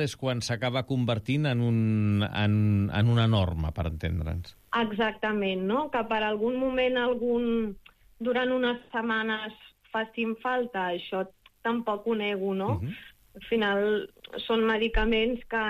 és quan s'acaba convertint en una norma, per entendre'ns. Exactament, no? Que per algun moment, durant unes setmanes facin falta, això tampoc ho nego, no? Al final són medicaments que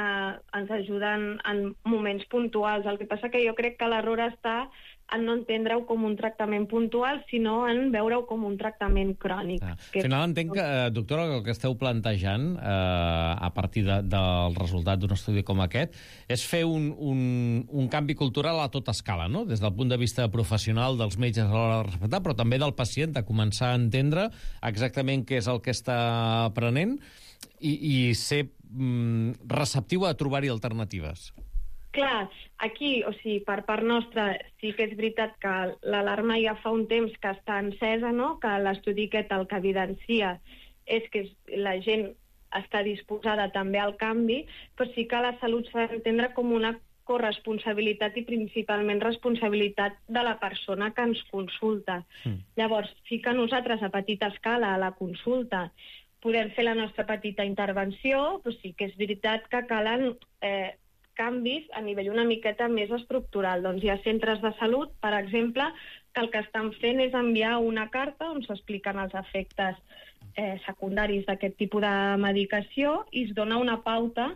ens ajuden en moments puntuals. El que passa que jo crec que l'error està en no entendre-ho com un tractament puntual, sinó en veure-ho com un tractament crònic. Al final entenc que, doctora, el que esteu plantejant a partir del resultat d'un estudi com aquest és fer un canvi cultural a tota escala, no? Des del punt de vista professional dels metges a l'hora de respectar, però també del pacient, de començar a entendre exactament què és el que està prenent i ser receptiu a trobar-hi alternatives. Clar, aquí, o sigui, per part nostra, sí que és veritat que l'alarma ja fa un temps que està encesa, no? Que l'estudi aquest el que evidencia és que la gent està disposada també al canvi, però sí que la salut s'ha d'entendre com una corresponsabilitat i principalment responsabilitat de la persona que ens consulta. Llavors, sí que nosaltres a petita escala, a la consulta, podem fer la nostra petita intervenció, però sí que és veritat que calen canvis a nivell una miqueta més estructural. Doncs hi ha centres de salut, per exemple, que el que estan fent és enviar una carta on s'expliquen els efectes secundaris d'aquest tipus de medicació i es dona una pauta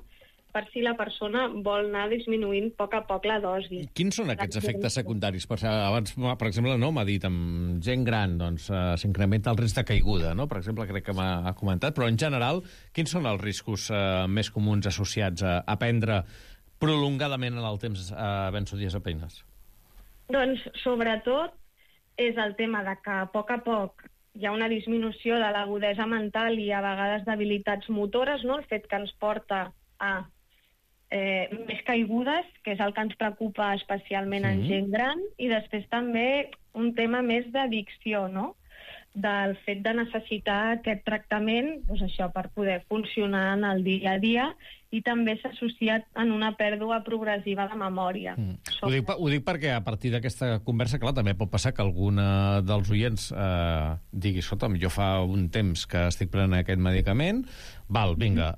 per si la persona vol anar disminuint a poc la dosi. Quins són aquests efectes secundaris? Abans, per exemple, no m'ha dit, amb gent gran doncs, s'incrementa el risc de caiguda, no? Per exemple, crec que m'ha comentat, però en general, quins són els riscos més comuns associats a prendre prolongadament en el temps benzodiazepines? Doncs, sobretot, és el tema de que a poc hi ha una disminució de l'agudesa mental i a vegades d'habilitats motores, no? El fet que ens porta a més caigudes, que és el que ens preocupa especialment en gent gran, i després també un tema més d'addicció, no? Del fet de necessitar aquest tractament, doncs això, per poder funcionar en el dia a dia, i també s'ha associat en una pèrdua progressiva de memòria. Ho dic perquè a partir d'aquesta conversa, clar, també pot passar que algun dels oients digui, escolta'm, jo fa un temps que estic prenent aquest medicament, vinga,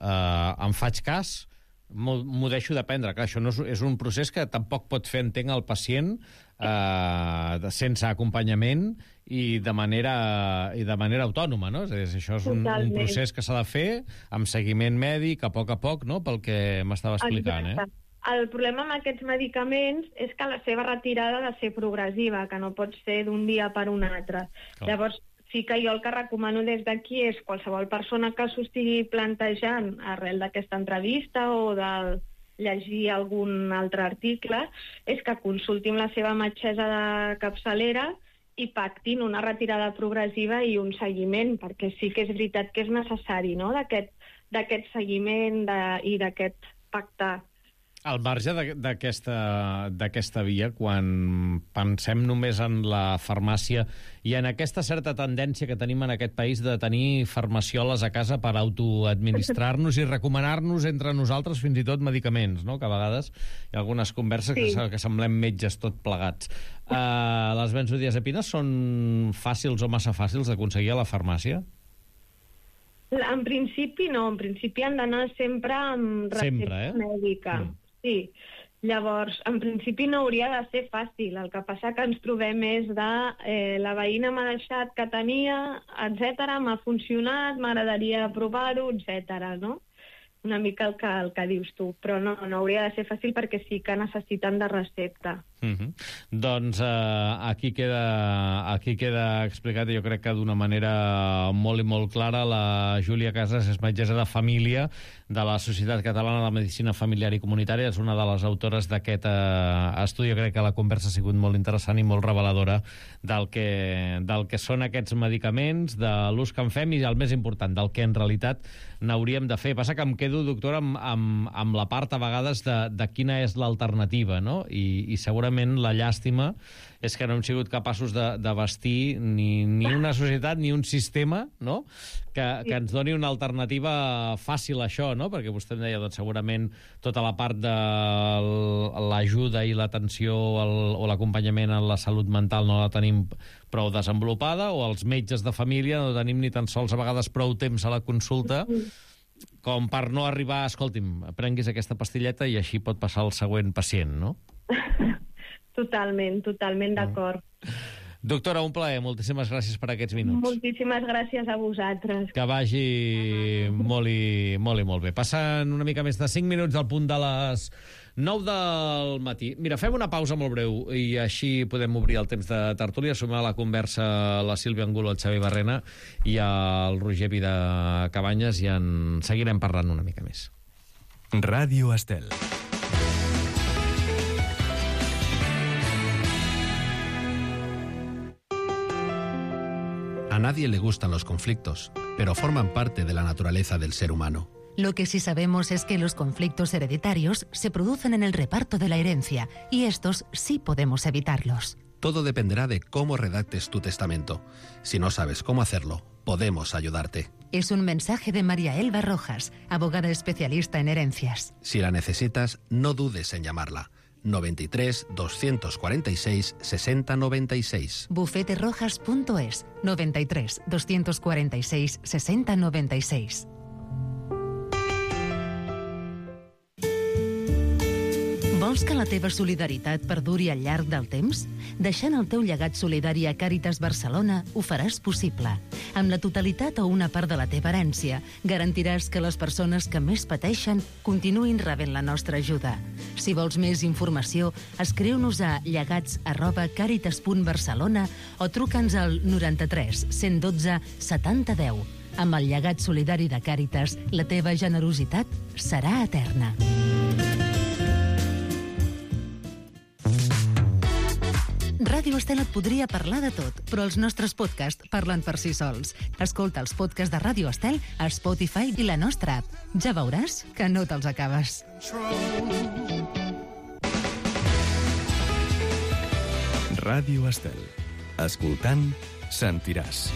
em faig cas, m'ho deixo de prendre. Clar, això no és un procés que tampoc pot fer, entenc, el pacient sense acompanyament i de manera autònoma, no? És a dir, això és un procés que s'ha de fer amb seguiment mèdic, a poc, no? Pel que m'estava explicant, El problema amb aquests medicaments és que la seva retirada ha de ser progressiva, que no pot ser d'un dia per un altre. Llavors, sí que jo el que recomano des d'aquí és qualsevol persona que s'ho estigui plantejant arrel d'aquesta entrevista o de llegir algun altre article, és que consulti amb la seva metgessa de capçalera i pactin una retirada progressiva i un seguiment, perquè sí que és veritat que és necessari, no?, d'aquest seguiment i d'aquest pacte. Al marge d'aquesta via, quan pensem només en la farmàcia i en aquesta certa tendència que tenim en aquest país de tenir farmacioles a casa per autoadministrar-nos i recomanar-nos entre nosaltres fins i tot medicaments, no? Que a vegades hi ha algunes converses que semblem metges tot plegats. Les benzodiazepines són fàcils o massa fàcils d'aconseguir a la farmàcia? En principi no, en principi han d'anar sempre amb recepta mèdica. Sí, llavors, en principi no hauria de ser fàcil. El que passa que ens trobem és de la veïna m'ha deixat que tenia, etc, m'ha funcionat, m'agradaria provar-ho, etc, no? Una mica el que dius tu, però no hauria de ser fàcil perquè sí que necessiten de recepta. Doncs aquí queda explicat, jo crec que d'una manera molt i molt clara. La Júlia Casas és metgessa de família de la Societat Catalana de Medicina Familiar i Comunitària, és una de les autores d'aquest estudi. Jo crec que la conversa ha sigut molt interessant i molt reveladora del que són aquests medicaments, de l'ús que en fem i, el més important, del que en realitat n'hauríem de fer. Passa que em quedo, doctora, amb la part a vegades de quina és l'alternativa, no? I segurament la llàstima és que no hem sigut capaços de bastir ni una societat ni un sistema, no?, que ens doni una alternativa fàcil a això, no? Perquè vostè em deia, doncs segurament tota la part de l'ajuda i l'atenció o l'acompanyament en la salut mental no la tenim prou desenvolupada, o els metges de família no tenim ni tan sols a vegades prou temps a la consulta com per no arribar, escolti'm, prenguis aquesta pastilleta i així pot passar el següent pacient, no? Totalment d'acord. Doctora, un plaer. Moltíssimes gràcies per aquests minuts. Moltíssimes gràcies a vosaltres. Que vagi molt i molt bé. Passen una mica més de 5 minuts al punt de les 9 del matí. Mira, fem una pausa molt breu i així podem obrir el temps de tertúlia. Sumar a la conversa la Sílvia Angulo, el Xavi Barrena i el Roger Vida Cabanyes i en seguirem parlant una mica més. Ràdio Estel. A nadie le gustan los conflictos, pero forman parte de la naturaleza del ser humano. Lo que sí sabemos es que los conflictos hereditarios se producen en el reparto de la herencia, y estos sí podemos evitarlos. Todo dependerá de cómo redactes tu testamento. Si no sabes cómo hacerlo, podemos ayudarte. Es un mensaje de María Elba Rojas, abogada especialista en herencias. Si la necesitas, no dudes en llamarla. 93 246 60 96. Bufeterojas.es 93 246 60 96. Vols que la teva solidaritat perduri al llarg del temps? Deixant el teu llegat solidari a Càritas Barcelona ho faràs possible. Amb la totalitat o una part de la teva herència, garantiràs que les persones que més pateixen continuïn rebent la nostra ajuda. Si vols més informació, escriu-nos a llegats@caritas.barcelona o truca'ns al 93 112 70 10. Amb el llegat solidari de Càritas, la teva generositat serà eterna. Ràdio Estel et podria parlar de tot, però els nostres podcasts parlen per si sols. Escolta els podcasts de Ràdio Estel a Spotify i la nostra app. Ja veuràs que no te'ls acabes. Ràdio Estel. Escoltant, sentiràs.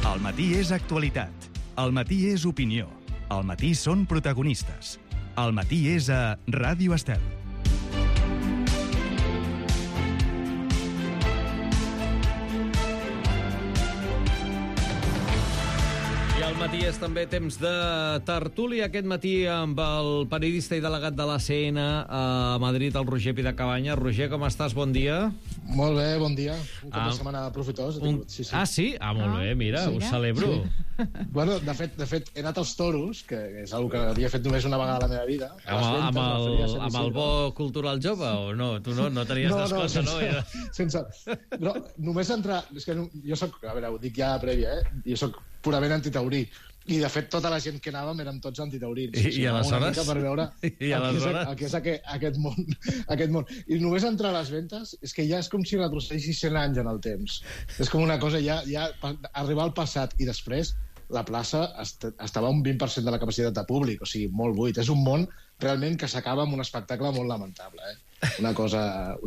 El matí és actualitat. El matí és opinió. El matí són protagonistes. El matí és a Ràdio Estel. Al matí és també temps de tertúlia. Aquest matí amb el periodista i delegat de l'ACN a Madrid, el Roger Pidacabanya. Roger, com estàs? Bon dia. Molt bé, bon dia. Un cap de setmana profitós. Sí. Ah, sí? Ah, molt bé, mira, ho celebro. Sí. Bueno, de fet, he anat als toros, que és una que havia fet només una vegada a la meva vida. Amb el bo cultural jove, o no? Tu no tenies descompte, no? Sense... No, només entrar... És que jo soc... A veure, ho dic ja prèvia, Jo soc purament antitaurí. I, de fet, tota la gent que anàvem érem tots antitaurins. I aleshores? Per veure el que és aquest món. I només entrar a les ventes és que ja és com si retrocedissis 100 anys en el temps. És com una cosa ja arribar al passat i després la plaça estava un 20% de la capacitat de públic, o sigui, molt buit. És un món realment que s'acaba amb un espectacle molt lamentable, Una cosa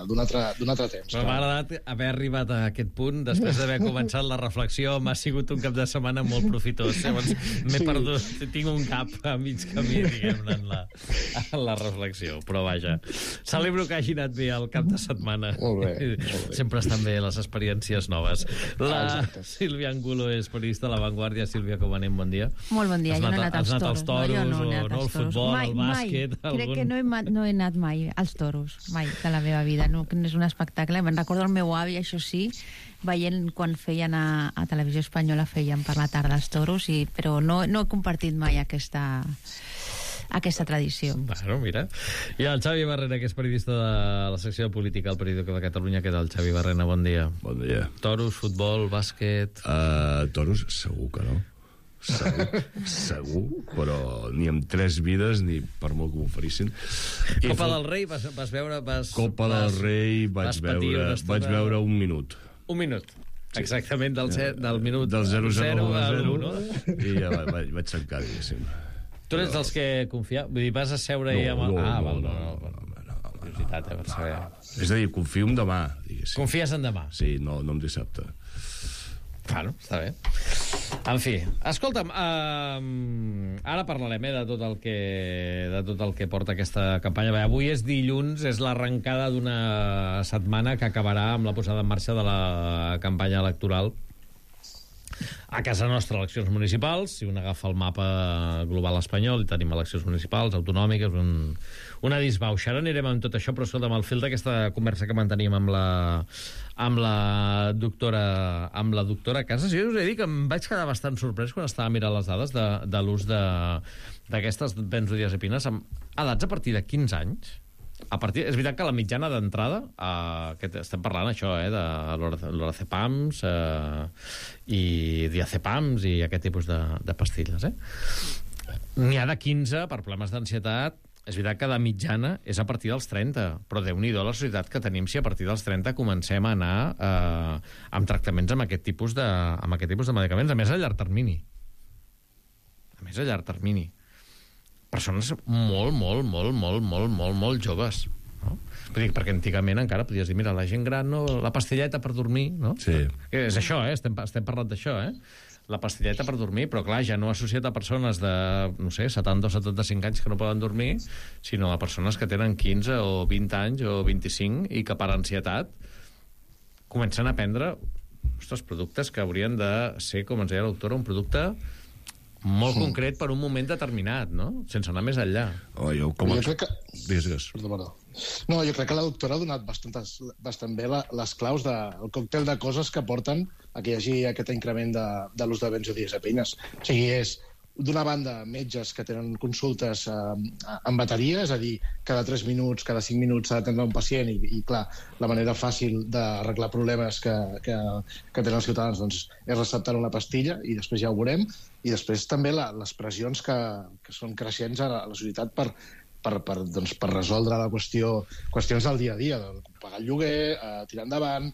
d'un altre temps. Però m'ha agradat haver arribat a aquest punt després d'haver començat la reflexió. M'ha sigut un cap de setmana molt profitós. Llavors m'he perdut, tinc un cap a mig camí, diguem-ne, en la reflexió. Però vaja, celebro que hagi anat bé el cap de setmana. Molt bé. Sempre estan bé les experiències noves. La Sílvia Angulo és periodista a La Vanguardia. Sílvia, com anem? Bon dia. Molt bon dia. Jo no he anat als toros. El futbol, el bàsquet... Crec que no he anat mai als toros, mai, de la meva vida. No és un espectacle. Me'n recordo el meu avi, això sí, veient quan feien a Televisió Espanyola, feien per la tarda els toros, però no he compartit mai aquesta tradició. Bueno, mira. I el Xavi Barrena, que és periodista de la secció de política al Periódico de Catalunya. Què tal, Xavi Barrena? Bon dia. Bon dia. Toros, futbol, bàsquet... Toros, segur que no. Segur, però ni amb 3 vides ni per molt que m'oferissin. Copa del Rei vas veure? Copa del Rei vaig veure un minut. Un minut. Exactament, del minut del 0-0 a l'1, no? I ja vaig tancar, diguéssim. Tu ets dels que confia? Vull dir, vas a seure i... No. curiositat, per saber. És a dir, confio en demà, diguéssim. Confies en demà? Sí, no en dissabte. Claro, està bé. En fi, escolta'm, ara parlarem de tot el que porta aquesta campanya. Bé, avui és dilluns, és l'arrencada d'una setmana que acabarà amb la posada en marxa de la campanya electoral. A casa nostra, eleccions municipals. Si un agafa el mapa global espanyol, hi tenim eleccions municipals, autonòmiques, una disbauxa. Ara anirem amb tot això, però escolta'm, al fil d'aquesta conversa que manteníem amb la doctora Casas, jo us he dit que em vaig quedar bastant sorprès quan estava mirant les dades de l'ús d'aquestes benzodiazepines amb edats a partir de 15 anys. És veritat que la mitjana d'entrada, estem parlant això, de lorazepams i diazepams i aquest tipus de pastilles. N'hi ha de 15 per problemes d'ansietat. És veritat que de mitjana és a partir dels 30, però Déu-n'hi-do la societat que tenim si a partir dels 30 comencem a anar amb tractaments amb aquest tipus de medicaments, a més a llarg termini. Persones molt joves, no? Vull dir, perquè antigament encara podies dir, mira, la gent gran, no, la pastilleta per dormir, no? Sí. És això, estem parlant d'això, la pastilleta per dormir, però clar, ja no associat a persones de, no sé, 70 o 75 anys que no poden dormir, sinó a persones que tenen 15 o 20 anys o 25 i que per ansietat comencen a prendre productes que haurien de ser, com ens deia la doctora, un producte molt concret per un moment determinat, no? Sense anar més enllà. Jo crec que... Perdó. No, jo crec que la doctora ha donat bastant bé les claus del còctel de coses que porten a que hi hagi aquest increment de l'ús de benzodiazepines. O sigui, és, d'una banda, metges que tenen consultes en bateria, és a dir, cada 3 minuts, cada 5 minuts s'ha d'atendre un pacient i, clar, la manera fàcil d'arreglar problemes que tenen els ciutadans doncs, és receptar una pastilla i després ja ho veurem. I després també les pressions que són creixents a la societat per resoldre la qüestions del dia a dia, pagar el lloguer, tirar endavant,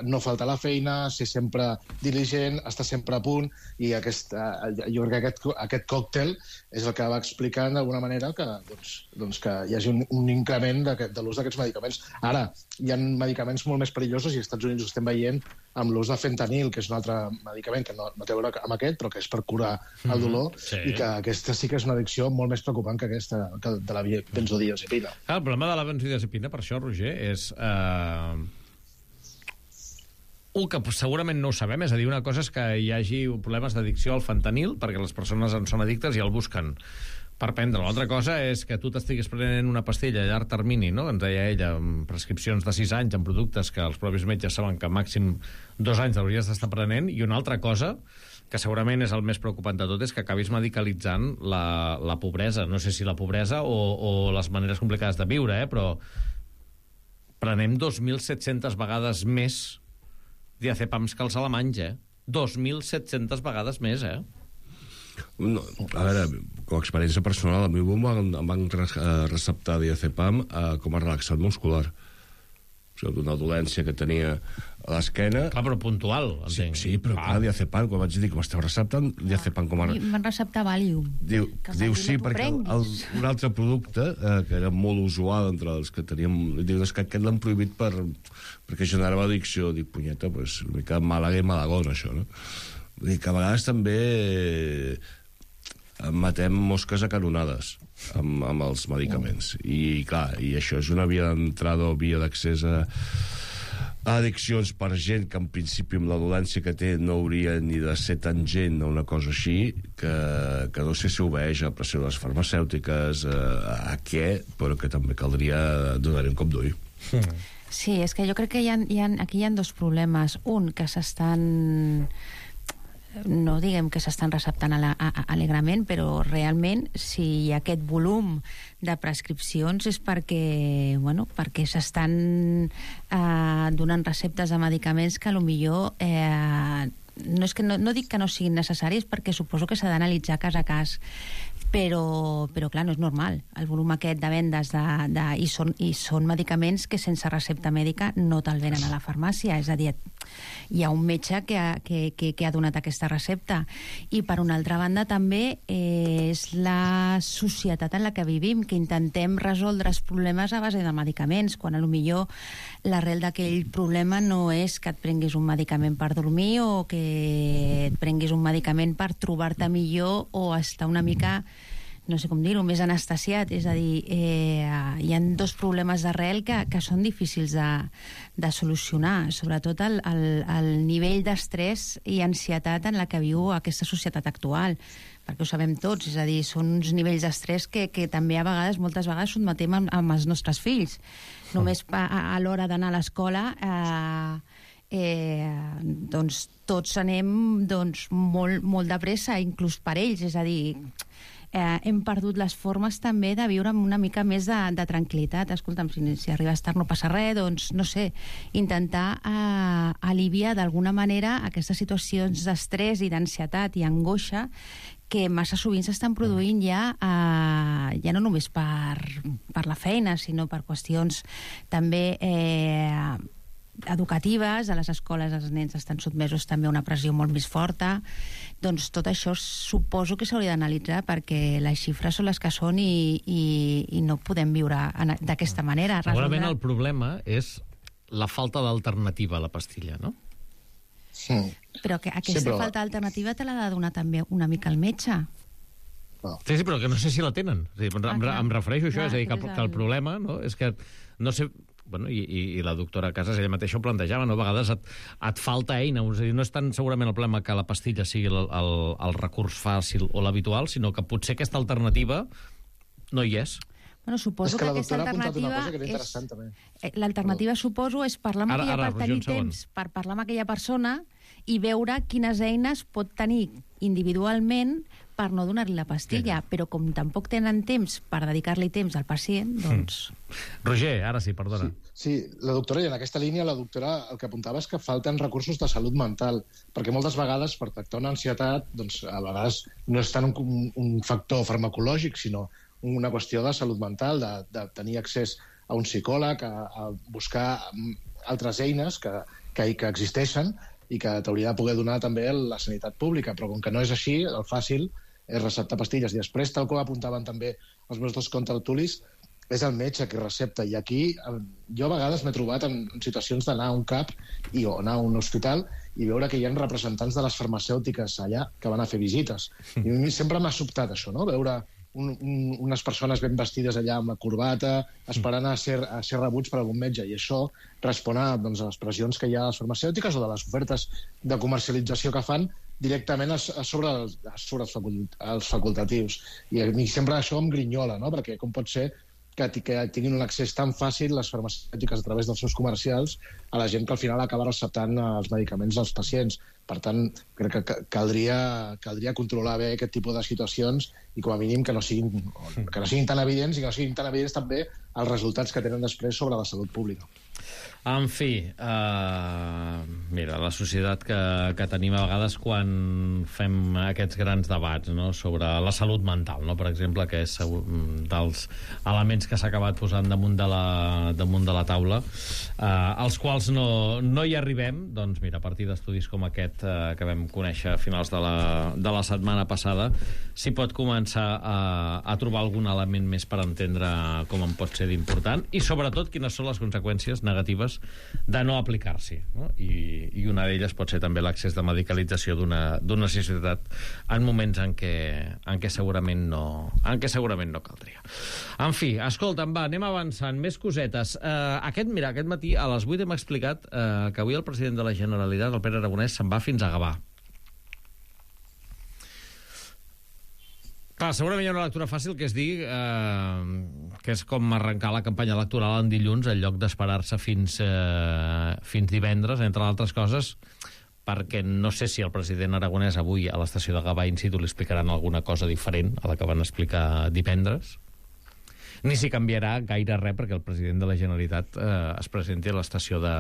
no faltar a la feina, ser sempre diligent, estar sempre a punt, i jo crec que aquest còctel és el que va explicant d'alguna manera que hi hagi un increment de l'ús d'aquests medicaments. Ara, hi ha medicaments molt més perillosos i als Estats Units ho estem veient amb l'ús de fentanil, que és un altre medicament que no té a veure amb aquest, però que és per curar el dolor, i que aquesta sí que és una addicció molt més preocupant que aquesta de la benzodiazepina. El problema de la benzodiazepina, per això, Roger, és... que segurament no ho sabem, és a dir, una cosa és que hi hagi problemes d'addicció al fentanil, perquè les persones en són addictes i el busquen per prendre. L'altra cosa és que tu t'estiguis prenent una pastilla a llarg termini, no? Ens deia ella, amb prescripcions de 6 anys, amb productes que els propis metges saben que màxim 2 anys l'hauries d'estar prenent, i una altra cosa, que segurament és el més preocupant de tot, és que acabis medicalitzant la pobresa. No sé si la pobresa o les maneres complicades de viure, però prenem 2.700 vegades més diazepams que els alemanys, 2.700 vegades més, No, a veure, com a experiència personal, a mi em van receptar diazepam com a relaxant muscular. O sigui, d'una dolència que tenia a l'esquena. Clar, però puntual, entenc. Sí, però clar, diazepam, quan vaig dir que m'esteu receptant, diazepam com a... Em van receptar Valium. Diu sí, perquè un altre producte, que era molt usual entre els que teníem... Diu, és que aquest l'han prohibit perquè generava addicció. Dic, punyeta, doncs una mica Màlaga i Malagón, això, no? Vull dir que a vegades també matem mosques a canonades amb els medicaments. I, clar, i això és una via d'entrada o via d'accés a addiccions per gent que en principi amb la dolència que té no hauria ni de ser tan gent o una cosa així, que no sé si obeeix a pressió de les farmacèutiques, a què, però que també caldria donar-hi un cop d'ull. Sí, és que jo crec que aquí hi ha dos problemes. Un, que s'estan... no diguem que s'estan receptant alegrament, però realment si hi ha aquest volum de prescripcions és perquè s'estan donant receptes de medicaments que potser no dic que no siguin necessaris, perquè suposo que s'ha d'analitzar cas a cas, però clar, no és normal el volum aquest de vendes i són medicaments que sense recepta mèdica no te'l venen a la farmàcia, és a dir, hi ha un metge que ha donat aquesta recepta. I per una altra banda també és la societat en la que vivim, que intentem resoldre els problemes a base de medicaments, quan potser l'arrel d'aquell problema no és que et prenguis un medicament per dormir o que et prenguis un medicament per trobar-te millor o estar una mica, no sé com dir-ho, més anestesiat. És a dir, hi ha dos problemes d'arrel que són difícils de solucionar, sobretot el nivell d'estrès i ansietat en la que viu aquesta societat actual, perquè ho sabem tots, és a dir, són uns nivells d'estrès que també moltes vegades sotmetem amb els nostres fills. Només a l'hora d'anar a l'escola doncs tots anem molt de pressa, inclús per ells, és a dir, hem perdut les formes també de viure amb una mica més de tranquil·litat. Escolta'm, si arribes tard no passa res, doncs, no sé, intentar aliviar d'alguna manera aquestes situacions d'estrès i d'ansietat i angoixa que massa sovint s'estan produint ja no només per la feina, sinó per qüestions també educatives. A les escoles els nens estan sotmesos també a una pressió molt més forta. Doncs tot això suposo que s'hauria d'analitzar, perquè les xifres són les que són i no podem viure d'aquesta manera. Segurament el problema és la falta d'alternativa a la pastilla, no? Sí. Però que aquesta falta d'alternativa te l'ha de donar també una mica el metge. Sí, però que no sé si la tenen. Em refereixo a això, és a dir, que el problema, no, és que no sé... Bueno, i la doctora Casas ella mateixa ho plantejava, no? A vegades et falta eina, és a dir, no és tant segurament el problema que la pastilla sigui el recurs fàcil o l'habitual, sinó que potser aquesta alternativa no hi és. Bueno, suposo que aquesta alternativa l'alternativa, suposo, és parlar amb tenir temps per parlar amb aquella persona i veure quines eines pot tenir individualment per no donar-li la pastilla, però com tampoc tenen temps per dedicar-li temps al pacient, doncs... Roger, ara sí, perdona. Sí, la doctora, i en aquesta línia la doctora el que apuntava és que falten recursos de salut mental, perquè moltes vegades per tractar una ansietat, doncs a vegades no és tant un factor farmacològic, sinó una qüestió de salut mental, de tenir accés a un psicòleg, a buscar altres eines que existeixen i que t'hauria de poder donar també la sanitat pública, però com que no és així, el fàcil és receptar pastilles. I després, tal com apuntaven també els meus dos contertulis, és el metge que recepta. I aquí jo a vegades m'he trobat en situacions d'anar a un CAP o anar a un hospital i veure que hi ha representants de les farmacèutiques allà que van a fer visites. I a mi sempre m'ha sobtat això, no? Veure unes persones ben vestides allà amb la corbata, esperant a ser rebuts per algun metge, i això respon a les pressions que hi ha a les farmacèutiques o de les ofertes de comercialització que fan directament sobre els facultatius. I a mi sempre això em grinyola, no? Perquè com pot ser que tinguin un accés tan fàcil les farmacèutiques a través dels seus comercials a la gent que al final acaba receptant els medicaments als pacients. Per tant, crec que caldria controlar bé aquest tipus de situacions i com a mínim que no siguin tan evidents i que no siguin tan evidents també els resultats que tenen després sobre la salut pública. En fi, mira, la societat que tenim a vegades quan fem aquests grans debats, no?, sobre la salut mental, no?, per exemple, que és dels elements que s'ha acabat posant damunt de la taula, als quals no hi arribem, doncs mira, a partir d'estudis com aquest que vam conèixer a finals de la setmana passada, s'hi pot començar a trobar algun element més per entendre com en pot ser d'important i sobretot quines són les conseqüències negatives de no aplicar-s'hi, no? I una d'elles pot ser també l'accés de medicalització d'una societat en moments en què segurament no caldria. En fi, escolta'm, va, anem avançant, més cosetes. Aquest matí a les 8 hem explicat que avui el president de la Generalitat, el Pere Aragonès, se'n va fins a Gavà. Clar, segurament hi ha una lectura fàcil que és dir que és com arrencar la campanya electoral en dilluns en lloc d'esperar-se fins divendres, entre altres coses, perquè no sé si el president Aragonès avui a l'estació de Gavà in situ li explicaran alguna cosa diferent a la que van explicar divendres, ni si canviarà gaire res perquè el president de la Generalitat es presenti a l'estació de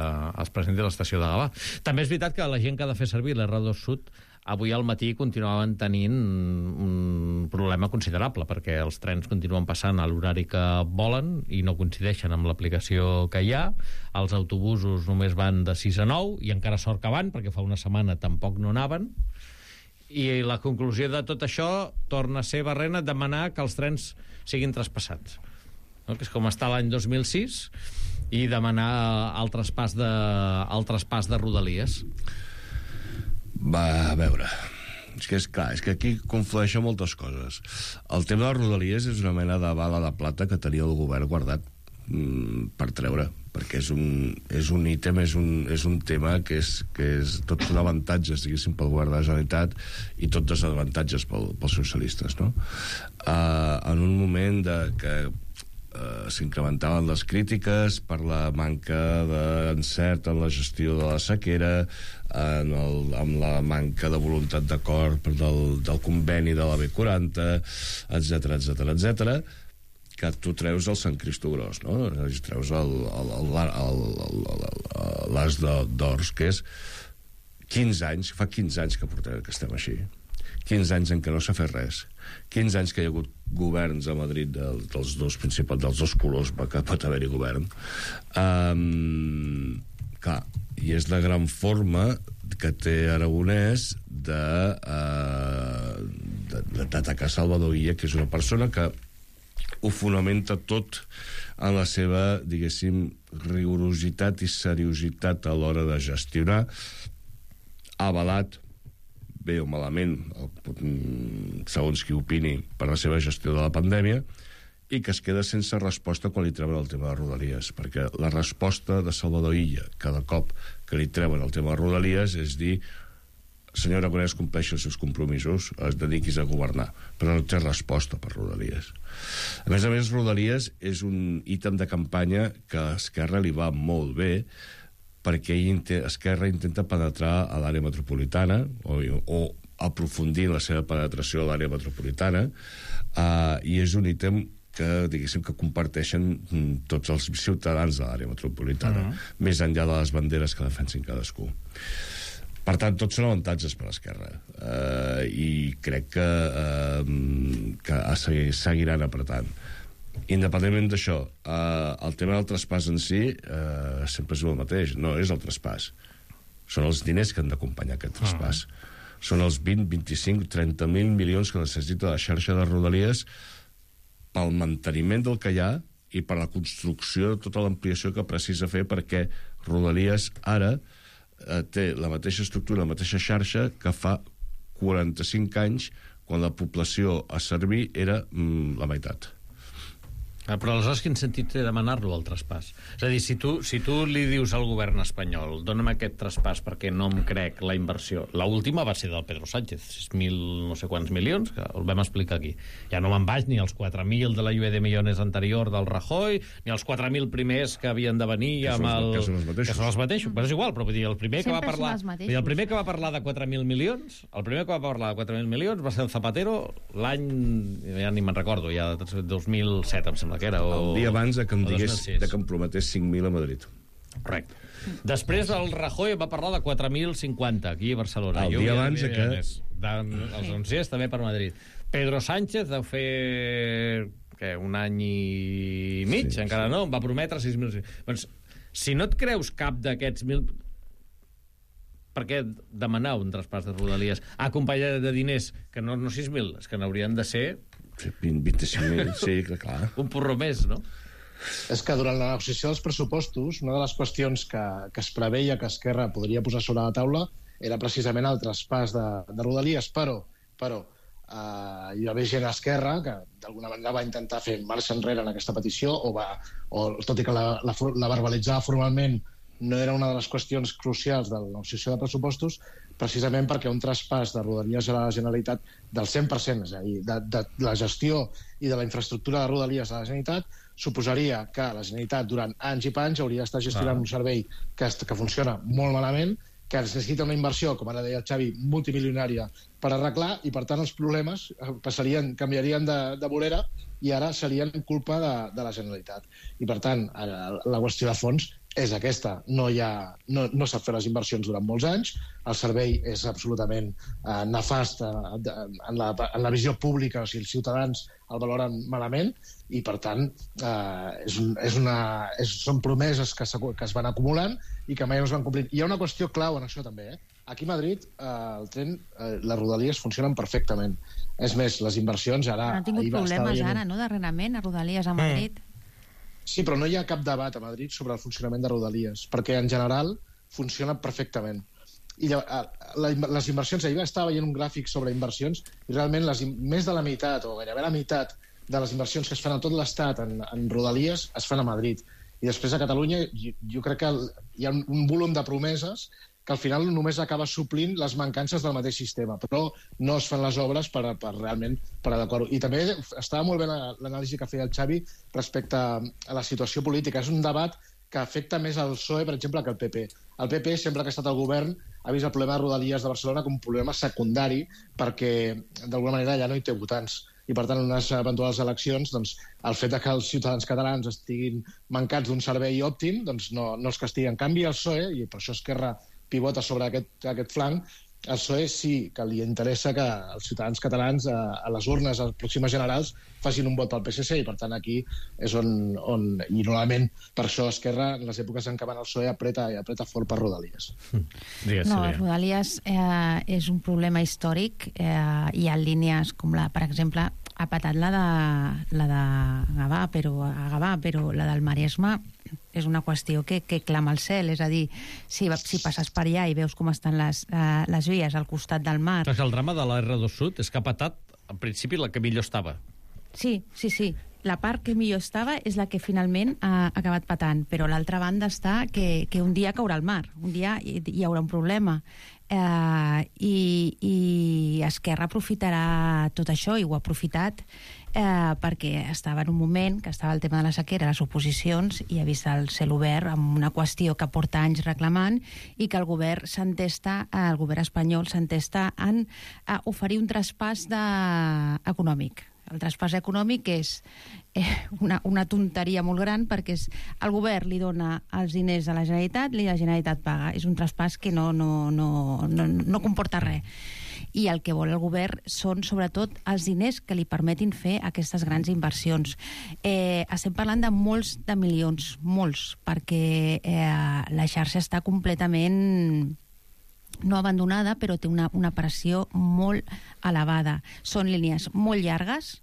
Gavà. També és veritat que la gent que ha de fer servir l'R2 Sud avui al matí continuaven tenint un problema considerable, perquè els trens continuen passant a l'horari que volen i no coincideixen amb l'aplicació que hi ha. Els autobusos només van de 6 a 9, i encara sort que van, perquè fa una setmana tampoc no anaven. I la conclusió de tot això torna a ser, Barrena, demanar que els trens siguin traspassats. No? Que és com està l'any 2006, i demanar el traspàs de Rodalies. Va, a veure, és que aquí conflueixen moltes coses. El tema de Rodalies és una mena de bala de plata que tenia el govern guardat per treure, perquè és un ítem, és un tema que és tot un avantatge, diguéssim, pel govern de la Generalitat i tot desavantatges pels socialistes, no? En un moment que s'incrementaven les crítiques per la manca d'encert en la gestió de la sequera, amb la manca de voluntat d'acord del conveni de la B40, etc, que tu treus el Sant Cristo Gros, no? Treus l'as d'ors, que és 15 anys, fa 15 anys que estem així. 15 anys en què no s'ha fet res. 15 anys que hi ha hagut governs a Madrid dels dos principals, dels dos colors que pot haver-hi govern. Clar, i és la gran forma que té Aragonès d'atacar Salvador Illa, que és una persona que ho fonamenta tot en la seva, diguéssim, rigorositat i seriositat a l'hora de gestionar, avalat, bé o malament, segons qui opini, per la seva gestió de la pandèmia, i que es queda sense resposta quan li treuen el tema de Rodalies, perquè la resposta de Salvador Illa cada cop que li treuen el tema de Rodalies és dir: senyor Aragonès, compleixi els seus compromisos, es dediquis a governar, però no té resposta per Rodalies. A més, Rodalies és un ítem de campanya que a Esquerra li va molt bé, perquè Esquerra intenta penetrar a l'àrea metropolitana o aprofundir la seva penetració a l'àrea metropolitana, i és un ítem que, diguéssim, que comparteixen tots els ciutadans de l'àrea metropolitana, més enllà de les banderes que defensin cadascú. Per tant, tots són avantatges per l'Esquerra, i crec que seguiran apretant. Independentment d'això, el tema del traspàs en si sempre és el mateix, no és el traspàs. Són els diners que han d'acompanyar aquest traspàs. Són els 20, 25, 30.000 milions que necessita la xarxa de Rodalies pel manteniment del que hi ha i per la construcció de tota l'ampliació que precisa fer, perquè Rodalies ara té la mateixa estructura, la mateixa xarxa que fa 45 anys, quan la població a servir era la meitat. Però aleshores quin sentit té demanar-lo, el traspàs? És a dir, si tu li dius al govern espanyol: dona'm aquest traspàs perquè no em crec la inversió. L'última va ser del Pedro Sánchez, 6.000 no sé quants milions, que el vam explicar aquí. Ja no me'n vaig ni als 4.000 de la lluvia de millones anterior del Rajoy, ni als 4.000 primers que havien de venir amb el... Que són els mateixos. Però és igual, però vull dir, el primer que va parlar de 4.000 milions, va ser el Zapatero l'any, ja ni me'n recordo, ja 2007, em sembla que era, el dia abans que em prometés 5.000 a Madrid. Correcte. Després el Rajoy va parlar de 4.050 aquí a Barcelona. El dia abans que... Els anunciés també per Madrid. Pedro Sánchez deu fer un any i mig, encara no, va prometre 6.000. Doncs, si no et creus cap d'aquests 1.000, per què demanar un traspàs de Rodalies acompanyat de diners que no 6.000, és que n'haurien de ser 25.000, sí, clar. Un porró més, no? És que durant la negociació dels pressupostos, una de les qüestions que es preveia que Esquerra podria posar sobre la taula era precisament el traspàs de Rodalies, però hi va haver gent a Esquerra que d'alguna manera va intentar fer marxa enrere en aquesta petició, tot i que la verbalitzava formalment, no era una de les qüestions crucials de la negociació de pressupostos, precisament perquè un traspàs de Rodalies a la Generalitat del 100%, és a dir, de la gestió i de la infraestructura de Rodalies a la Generalitat, suposaria que la Generalitat durant anys i panys hauria d'estar gestionant un servei que funciona molt malament, que necessita una inversió, com ara deia el Xavi, multimilionària per arreglar, i per tant els problemes canviarien de vorera i ara serien culpa de la Generalitat. I per tant, la qüestió de fons és aquesta. No s'ha fet les inversions durant molts anys, el servei és absolutament nefast en la visió pública, o sigui, els ciutadans el valoren malament, i per tant són promeses que es van acumulant i que mai no es van complir. Hi ha una qüestió clau en això també, Aquí a Madrid el tren, les rodalies funcionen perfectament. És més, les inversions ara... Han tingut problemes ara, no?, d'arrenament a rodalies a Madrid. Sí, però no hi ha cap debat a Madrid sobre el funcionament de rodalies, perquè en general funciona perfectament. I les inversions, ahir estava veient un gràfic sobre inversions, i realment més de la meitat, o gairebé la meitat, de les inversions que es fan a tot l'Estat en rodalies es fan a Madrid. I després a Catalunya jo crec que hi ha un volum de promeses que al final només acaba suplint les mancances del mateix sistema, però no es fan les obres per realment per adequar-ho. I també estava molt bé l'anàlisi que feia el Xavi respecte a la situació política. És un debat que afecta més al PSOE, per exemple, que al PP. El PP, sempre que ha estat al govern, ha vist el problema de Rodalies de Barcelona com un problema secundari perquè, d'alguna manera, ja no hi té votants. I, per tant, en unes eventuals eleccions, doncs, el fet que els ciutadans catalans estiguin mancats d'un servei òptim doncs no els castiga. En canvi, el PSOE, i per això Esquerra pivota sobre aquest flanc, el PSOE sí que li interessa que els ciutadans catalans a les urnes, a les pròximes generals, facin un vot al PSC, i per tant aquí és on i normalment per això Esquerra, en les èpoques en què van al PSOE, apreta fort per Rodalies. No, Rodalies és un problema històric. Hi ha línies com per exemple, ha patat la de Gavà, però la del Maresme és una qüestió que clama al cel. És a dir, si passes per allà i veus com estan les vies al costat del mar... El drama de la R2 Sud és que ha patat, en principi, la que millor estava. Sí. La part que millor estava és la que finalment ha acabat patant, però l'altra banda està que un dia caurà al mar, un dia hi haurà un problema. I Esquerra aprofitarà tot això, i ho ha aprofitat perquè estava en un moment que estava el tema de la sequera, les oposicions, i ha vist el cel obert amb una qüestió que porta anys reclamant, i que el govern espanyol s'entesta en oferir un traspàs econòmic. El traspàs econòmic és una tonteria molt gran, perquè el govern li dona els diners a la Generalitat i la Generalitat paga. És un traspàs que no comporta res. I el que vol el govern són, sobretot, els diners que li permetin fer aquestes grans inversions. Estem parlant de molts de milions, molts, perquè la xarxa està completament... no abandonada, però té una pressió molt elevada. Són línies molt llargues,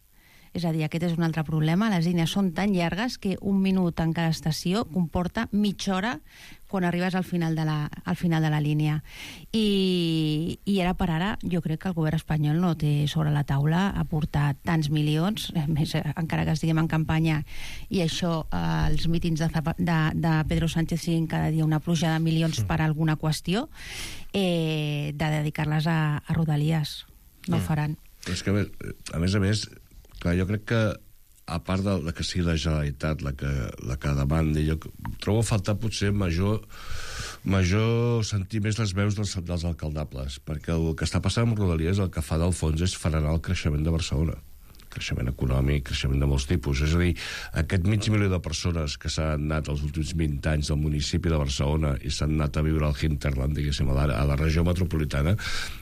és a dir, aquest és un altre problema. Les línies són tan llargues que un minut en cada estació comporta mitja hora quan arribes al final de la línia. I ara per ara jo crec que el govern espanyol no té sobre la taula aportar tants milions, més encara que estiguem en campanya, i això, els mítings de Pedro Sánchez siguin cada dia una pluja de milions per alguna qüestió, de dedicar-les a Rodalies. No ho faran. És que, a més, clar, jo crec que, a part de que sigui la Generalitat la que demandi, jo trobo a faltar potser major sentir més les veus dels alcaldables, perquè el que està passant amb Rodalies, el que fa del fons és frenar el creixement de Barcelona. Creixement econòmic, creixement de molts tipus. És a dir, aquest 500.000 de persones que s'han anat els últims 20 anys del municipi de Barcelona i s'han anat a viure al hinterland, diguéssim, a la regió metropolitana,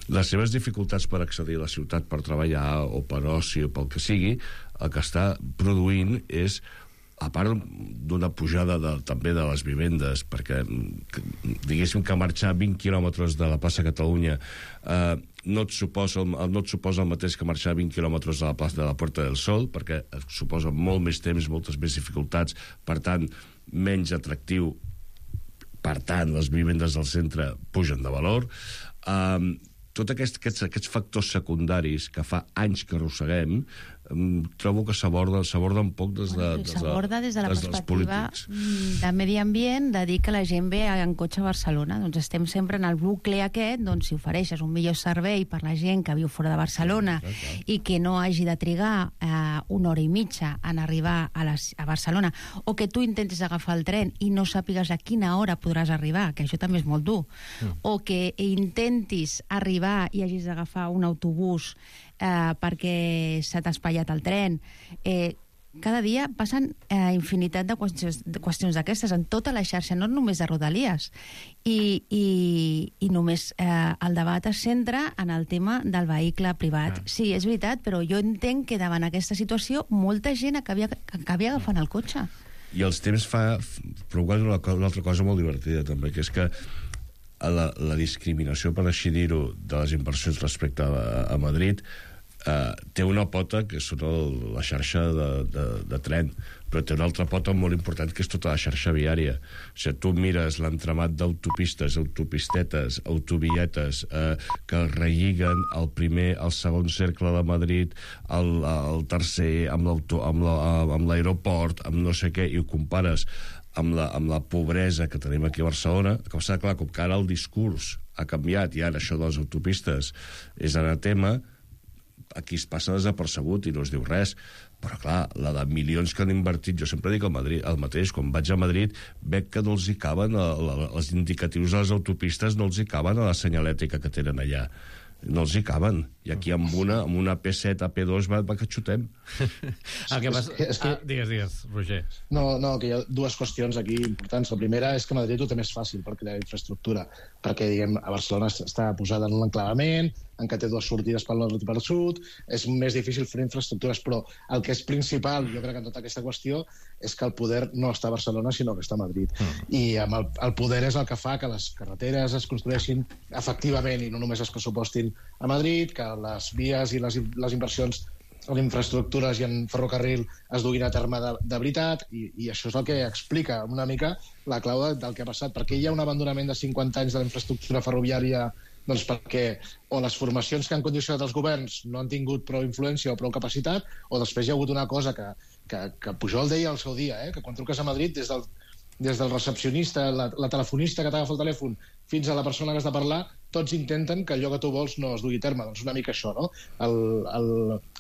les seves dificultats per accedir a la ciutat per treballar o per oci o pel que sigui, el que està produint és, a part d'una pujada també de les vivendes, perquè diguéssim que marxar 20 quilòmetres de la plaça Catalunya no et suposa el mateix que marxar 20 quilòmetres de la plaça de la Puerta del Sol, perquè et suposa molt més temps, moltes més dificultats, per tant, menys atractiu, per tant, les vivendes del centre pugen de valor. Tots aquests factors secundaris que fa anys que arrosseguem, trobo que s'aborda un poc des de la perspectiva de medi ambient, de dir que la gent ve en cotxe a Barcelona. Doncs estem sempre en el bucle aquest, doncs si ofereixes un millor servei per la gent que viu fora de Barcelona i que no hagi de trigar una hora i mitja en arribar a Barcelona, o que tu intentis agafar el tren i no sàpigues a quina hora podràs arribar, que això també és molt dur, o que intentis arribar i hagis d'agafar un autobús perquè s'ha t'ha espatllat el tren, cada dia passen infinitat de qüestions d'aquestes en tota la xarxa, no només de Rodalies. I només el debat es centra en el tema del vehicle privat. Sí, és veritat, però jo entenc que davant aquesta situació molta gent acabi agafant el cotxe. I els temps provoquen una altra cosa molt divertida, també, que és que la discriminació, per així dir-ho, de les inversions respecte a Madrid té una pota que és la xarxa de tren, però té una altra pota molt important que és tota la xarxa viària. O sigui, tu mires l'entramat d'autopistes, autopistetes, autovietes que relliguen el primer, el segon cercle de Madrid, el tercer, amb l'aeroport, amb no sé què, i ho compares amb la pobresa que tenim aquí a Barcelona, que passa, clar, com que ara el discurs ha canviat i ara això de les autopistes és anatema, aquí es passa desapercebut i no es diu res. Però, clar, la de milions que han invertit, jo sempre dic el mateix, quan vaig a Madrid, veig que no els hi caben, els indicatius de les autopistes no els hi caben a la senyalètica que tenen allà. No els hi caben. I aquí amb una P7 a P2 va que xutem. Digues, Roger. No, que hi ha dues qüestions aquí importants. La primera és que Madrid ho té més fàcil per crear infraestructura, perquè, diguem, a Barcelona està posada en un enclavament, en què té dues sortides pel nord i pel sud, és més difícil fer infraestructures, però el que és principal, jo crec, en tota aquesta qüestió, és que el poder no està a Barcelona, sinó que està a Madrid. I amb el poder és el que fa que les carreteres es construeixin efectivament i no només es pressupostin a Madrid, que les vies i les inversions en infraestructures i en ferrocarril es duguin a terme de veritat, i això és el que explica una mica la clau del que ha passat. Per què hi ha un abandonament de 50 anys de la infraestructura ferroviària? Doncs perquè o les formacions que han condicionat els governs no han tingut prou influència o prou capacitat, o després hi ha hagut una cosa que Pujol deia al seu dia, que quan truques a Madrid, des del recepcionista, la telefonista que t'agafa el telèfon, fins a la persona que has de parlar, tots intenten que allò que tu vols no es dugui a terme. Doncs una mica això, no?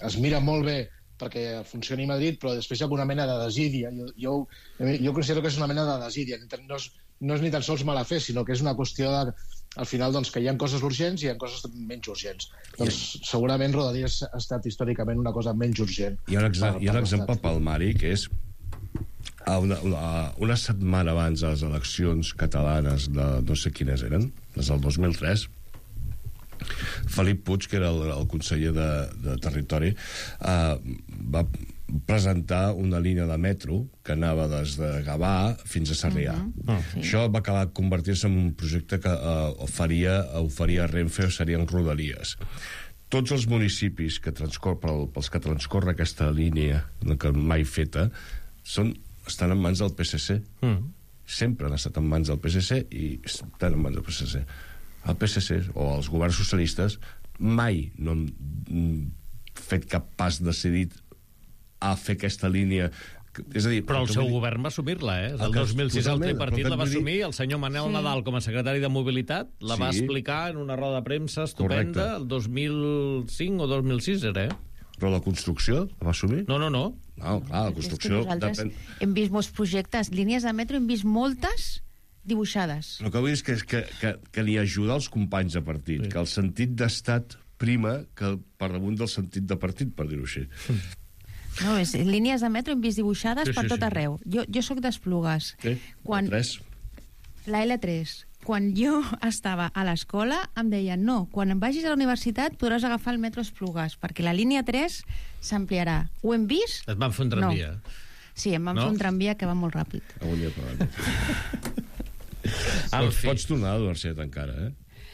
Es mira molt bé perquè funcioni a Madrid, però després hi ha alguna mena de desídia. Jo considero que és una mena de desídia. No és ni tan sols mala fe, sinó que és una qüestió al final, doncs, que hi ha coses urgents i hi ha coses menys urgents. Doncs segurament Rodalies ha estat històricament una cosa menys urgent. Hi ha un exemple palmari, que és una setmana abans de les eleccions catalanes de no sé quines eren, les del 2003, Felip Puig, que era el conseller de Territori, va presentar una línia de metro que anava des de Gavà fins a Sarrià. Sí. Això va acabar convertir-se en un projecte que oferia Renfe, o serien Rodalies. Tots els municipis pels que transcorre aquesta línia, que mai feta, estan en mans del PSC. Sempre han estat en mans del PSC i estan en mans del PSC. El PSC o els governs socialistes mai no han fet cap pas decidit a fer aquesta línia. És a dir, però el seu govern va assumir-la, El 2006 el tripartit la va assumir, el senyor Manel Nadal, com a secretari de Mobilitat, la va explicar en una roda de premsa estupenda, el 2005 o 2006 era, Però la construcció la va assumir? No. No, clar, la construcció... Hem vist molts projectes, línies de metro, hem vist moltes dibuixades. El que vull dir és que ni ajudar els companys de partit, que el sentit d'estat prima que per damunt del sentit de partit, per dir-ho així. No, línies de metro hem vist dibuixades per tot arreu. Jo sóc d'Esplugues. La L3. Quan jo estava a l'escola em deien no, quan vagis a la universitat podràs agafar el metro Esplugues, perquè la línia 3 s'ampliarà. Ho hem vist? Et van fer un tramvia. No. Sí, em van fer un tramvia que va molt ràpid. Pots tornar a la universitat encara,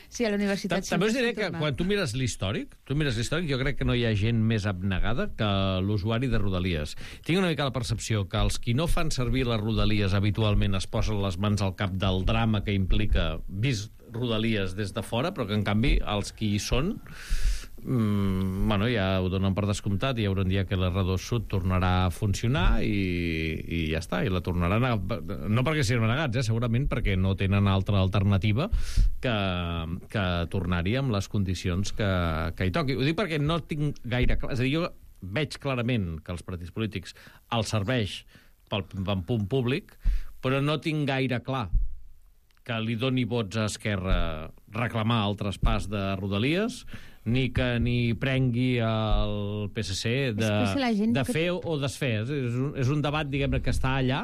Sí, a la universitat... També us diré que quan tu mires l'històric, jo crec que no hi ha gent més abnegada que l'usuari de Rodalies. Tinc una mica la percepció que els qui no fan servir les Rodalies habitualment es posen les mans al cap del drama que implica vist Rodalies des de fora, però que en canvi els qui hi són ja ho donen per descomptat. Hi haurà un dia que l'R2 Sud tornarà a funcionar i ja està, i la tornaran no perquè siguin negats, segurament perquè no tenen altra alternativa que tornar-hi amb les condicions que hi toqui. Ho dic perquè no tinc gaire clar, és a dir, jo veig clarament que els partits polítics els serveix pel punt públic, però no tinc gaire clar que li doni vots a Esquerra reclamar el traspàs de Rodalies, ni que ni prengui el PSC de fer o desfer. És un debat, diguem-ne, que està allà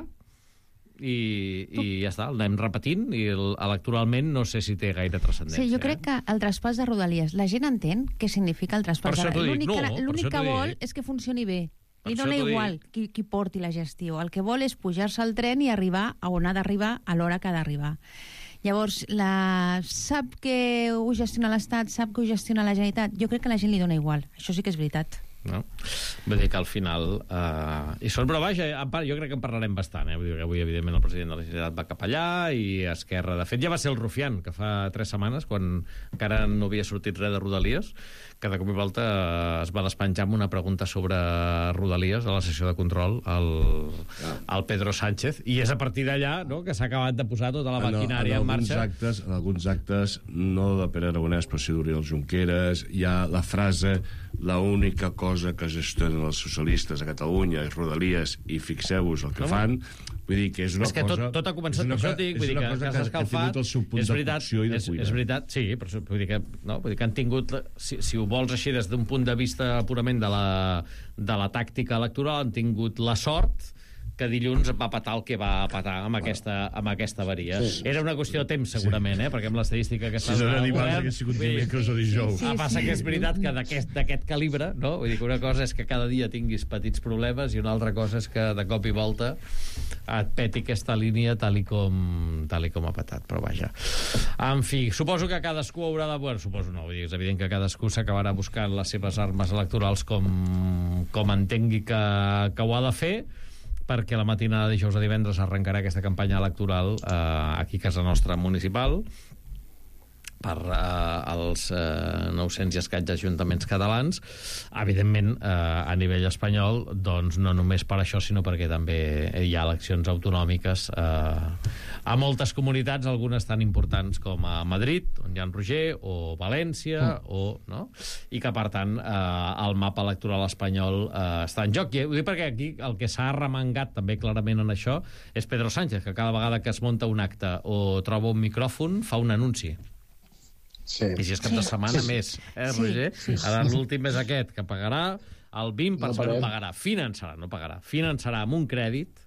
i ja està, el anem repetint i electoralment no sé si té gaire transcendència. Sí, jo crec que el traspàs de Rodalies, la gent entén què significa el traspàs de Rodalies. L'únic que vol és que funcioni bé. Li dona igual qui porti la gestió. El que vol és pujar-se al tren i arribar a on ha d'arribar a l'hora que ha d'arribar. Llavors, sap que ho gestiona l'Estat, sap que ho gestiona la Generalitat. Jo crec que a la gent li dona igual. Això sí que és veritat. No? Vull dir que al final però vaja, jo crec que en parlarem bastant, vull dir que avui evidentment el president de la Generalitat va cap allà i Esquerra, de fet ja va ser el Rufián que fa 3 setmanes, quan encara no havia sortit res de Rodalies, que de cop i volta es va despenjar amb una pregunta sobre Rodalies a la sessió de control al Pedro Sánchez, i és a partir d'allà, no?, que s'ha acabat de posar tota la maquinària en marxa. En alguns actes, no de Pere Aragonès, però sí d'Oriol Junqueras, hi ha la frase: la única cosa que gestionen els socialistes a Catalunya és Rodalies, i fixeu-vos el que fan. Vull dir que és una cosa... Tot ha començat per això, dic, vull dir que s'ha escalfat. És veritat, sí, però vull dir que han tingut, si ho vols així des d'un punt de vista purament de la tàctica electoral, han tingut la sort que dilluns va patar el que va patar amb aquesta avaria. Era una qüestió de temps, segurament, perquè amb l'estadística que està... Si serà dimarts, hagués sigut dimecres o dijous. Passa que és veritat que d'aquest calibre, no? Vull dir que una cosa és que cada dia tinguis petits problemes i una altra cosa és que de cop i volta et peti aquesta línia tal i com ha patat, però vaja. En fi, suposo que cadascú haurà de... Bueno, suposo no, vull dir, és evident que cadascú s'acabarà buscant les seves armes electorals com entengui que ho ha de fer, perquè la matinada de dijous a divendres arrencarà aquesta campanya electoral aquí a casa nostra municipal per als 900 i escaig ajuntaments catalans. Evidentment, a nivell espanyol, doncs no només per això, sinó perquè també hi ha eleccions autonòmiques a moltes comunitats, algunes tan importants com a Madrid, on hi ha en Roger, o València, no? I que, per tant, el mapa electoral espanyol està en joc. I ho dic perquè aquí el que s'ha arremangat també clarament en això és Pedro Sánchez, que cada vegada que es munta un acte o troba un micròfon fa un anunci. Sí. I si és cap de setmana més, Roger? Ara l'últim és aquest, que pagarà el 20%, no pagarà, finançarà amb un crèdit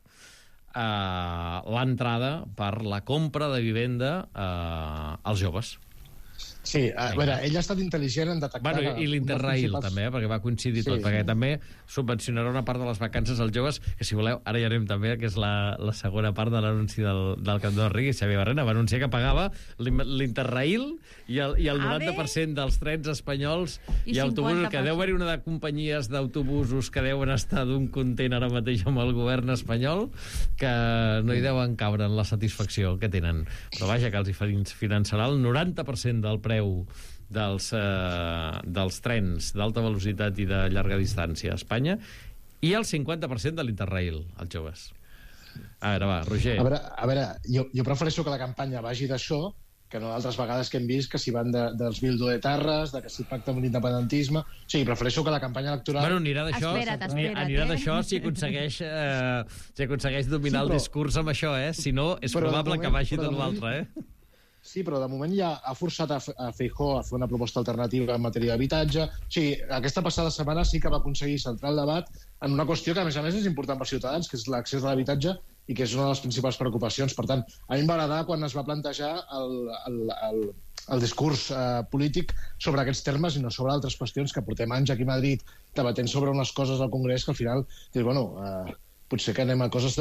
l'entrada per la compra de vivenda als joves. Sí, a veure, ell ha estat intel·ligent en detectar... Bueno, i l'Interrail també, perquè va coincidir tot, perquè també subvencionarà una part de les vacances als joves, que si voleu, ara ja anem també, que és la segona part de l'anunci del Camp de Rigui. Xavier Barrena va anunciar que pagava l'Interrail i el 90% dels trens espanyols i autobusos, que deu haver-hi una de companyies d'autobusos que deuen estar d'un content ara mateix amb el govern espanyol, que no hi deuen cabre en la satisfacció que tenen. Però vaja, que els finançarà el 90% del preu dels trens d'alta velocitat i de llarga distància a Espanya, i el 50% de l'Interrail als joves. A veure, va, Roger. A veure, jo prefereixo que la campanya vagi d'això que no d'altres vegades que hem vist que si van dels bildoetarres, de que si pacta amb l'independentisme... O sigui, prefereixo que la campanya electoral... Bueno, anirà d'això si aconsegueix dominar el discurs amb això, Si no, és probable que vagi de l'altre, Sí, però de moment ja ha forçat a Feijóo a fer una proposta alternativa en matèria d'habitatge. O sigui, aquesta passada setmana sí que va aconseguir centrar el debat en una qüestió que, a més és important per ciutadans, que és l'accés a l'habitatge i que és una de les principals preocupacions. Per tant, a mi em va agradar quan es va plantejar el discurs polític sobre aquests termes i no sobre altres qüestions que portem anys aquí a Madrid debatent sobre unes coses al Congrés que al final dius, bueno... potser que anem a coses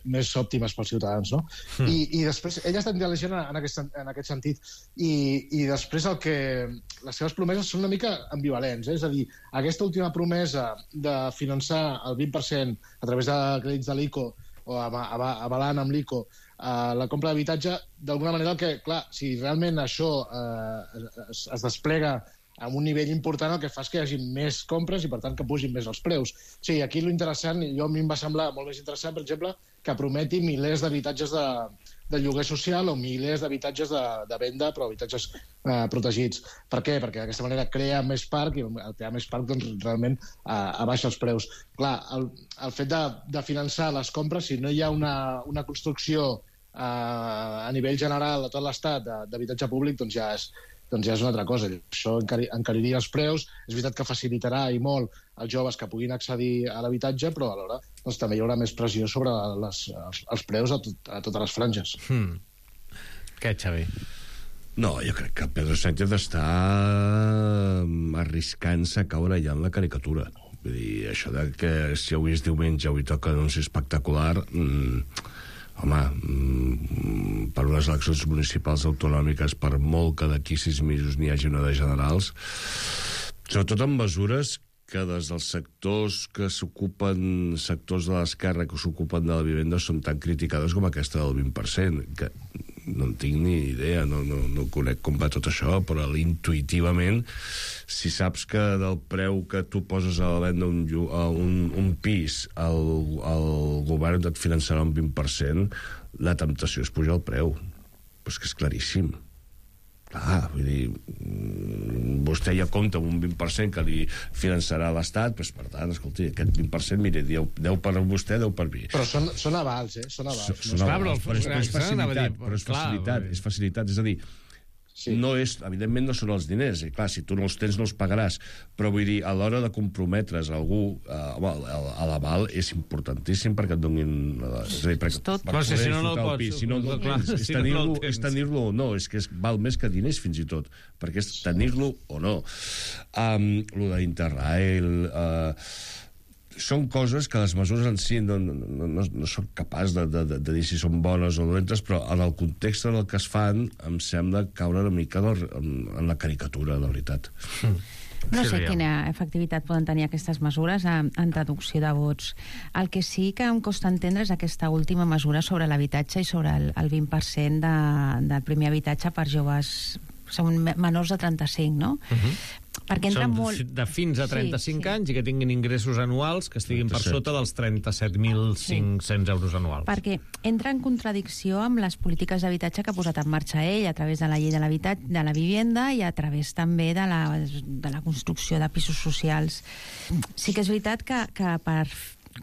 més òptimes pels ciutadans, no? I després, ell ha estat intel·ligent en aquest sentit, i després les seves promeses són una mica ambivalents, és a dir, aquesta última promesa de finançar el 20% a través de crèdits de l'ICO, o avalant amb l'ICO, la compra d'habitatge, d'alguna manera, clar, si realment això es desplega amb un nivell important, el que fa és que hi hagi més compres i, per tant, que pugin més els preus. O sigui, aquí l'interessant, a mi em va semblar molt més interessant, per exemple, que prometi milers d'habitatges de lloguer social o milers d'habitatges de venda, però habitatges protegits. Per què? Perquè d'aquesta manera crea més parc, i el crear més parc doncs, realment abaixa els preus. Clar, el fet de finançar les compres, si no hi ha una construcció a nivell general a tot l'estat d'habitatge públic, doncs ja doncs ja és una altra cosa. Això encariria els preus. És veritat que facilitarà i molt als joves que puguin accedir a l'habitatge, però alhora doncs, també hi haurà més pressió sobre els preus a totes les franges. Què, Xavi? No, jo crec que Pedro Sánchez està arriscant-se a caure ja en la caricatura. Vull dir, això de que si avui és diumenge, avui toca anunci espectacular... Home, per unes eleccions municipals autonòmiques, per molt que d'aquí 6 mesos n'hi hagi una de generals, sobretot amb mesures que des dels sectors que s'ocupen, sectors de l'esquerra que s'ocupen de la vivenda, són tan criticades com aquesta del 20%, que no en tinc ni idea, no conec com va tot això, però intuïtivament, si saps que del preu que tu poses a la venda un pis, el govern et finançarà un 20%, la temptació és pujar el preu. Però és que és claríssim. Clar, vull dir, vostè ja compta amb un 20% que li finançarà l'Estat, doncs, per tant, escolti, aquest 20%, mire, 10 per vostè, 10 per mi. Però són avals, Són avals. Però és facilitat, és a dir, no és, evidentment no són els diners, i clar, si tu no els tens no els pagaràs, però vull dir, a l'hora de comprometre's algú a l'aval és importantíssim perquè et donin... És a dir, per poder disfrutar el pis. Si no el tens, és tenir-lo o no, és que val més que diners fins i tot, perquè és tenir-lo o no. Lo d'Interrail... Són coses que les mesures en si no són capaç de dir si són bones o dolentes, però en el context en el que es fan em sembla caure una mica en la caricatura, de veritat. No sé quina efectivitat poden tenir aquestes mesures en traducció de vots. El que sí que em costa entendre és aquesta última mesura sobre l'habitatge i sobre el 20% del primer habitatge per joves, són menors de 35, no? Perquè entra molt... de fins a 35 anys i que tinguin ingressos anuals que estiguin per sota dels 37.500 euros anuals. Perquè entra en contradicció amb les polítiques d'habitatge que ha posat en marxa ell a través de la llei de la vivenda i a través també de la construcció de pisos socials. Sí que és veritat que per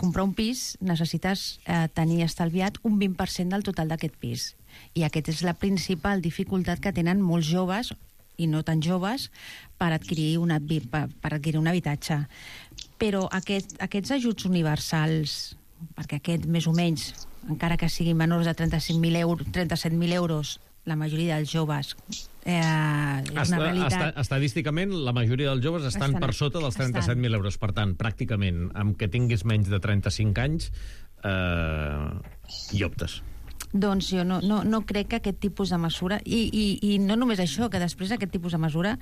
comprar un pis necessites tenir estalviat un 20% del total d'aquest pis. I aquesta és la principal dificultat que tenen molts joves i no tan joves per adquirir un habitatge. Però aquests ajuts universals, perquè aquest més o menys, encara que siguin menors de 37.000 euros, la majoria dels joves és una realitat. Estadísticament, la majoria dels joves estan per sota dels 37.000 euros. Per tant, pràcticament, amb que tinguis menys de 35 anys, hi optes. Doncs jo no crec que aquest tipus de mesura, i no només això, que després aquest tipus de mesura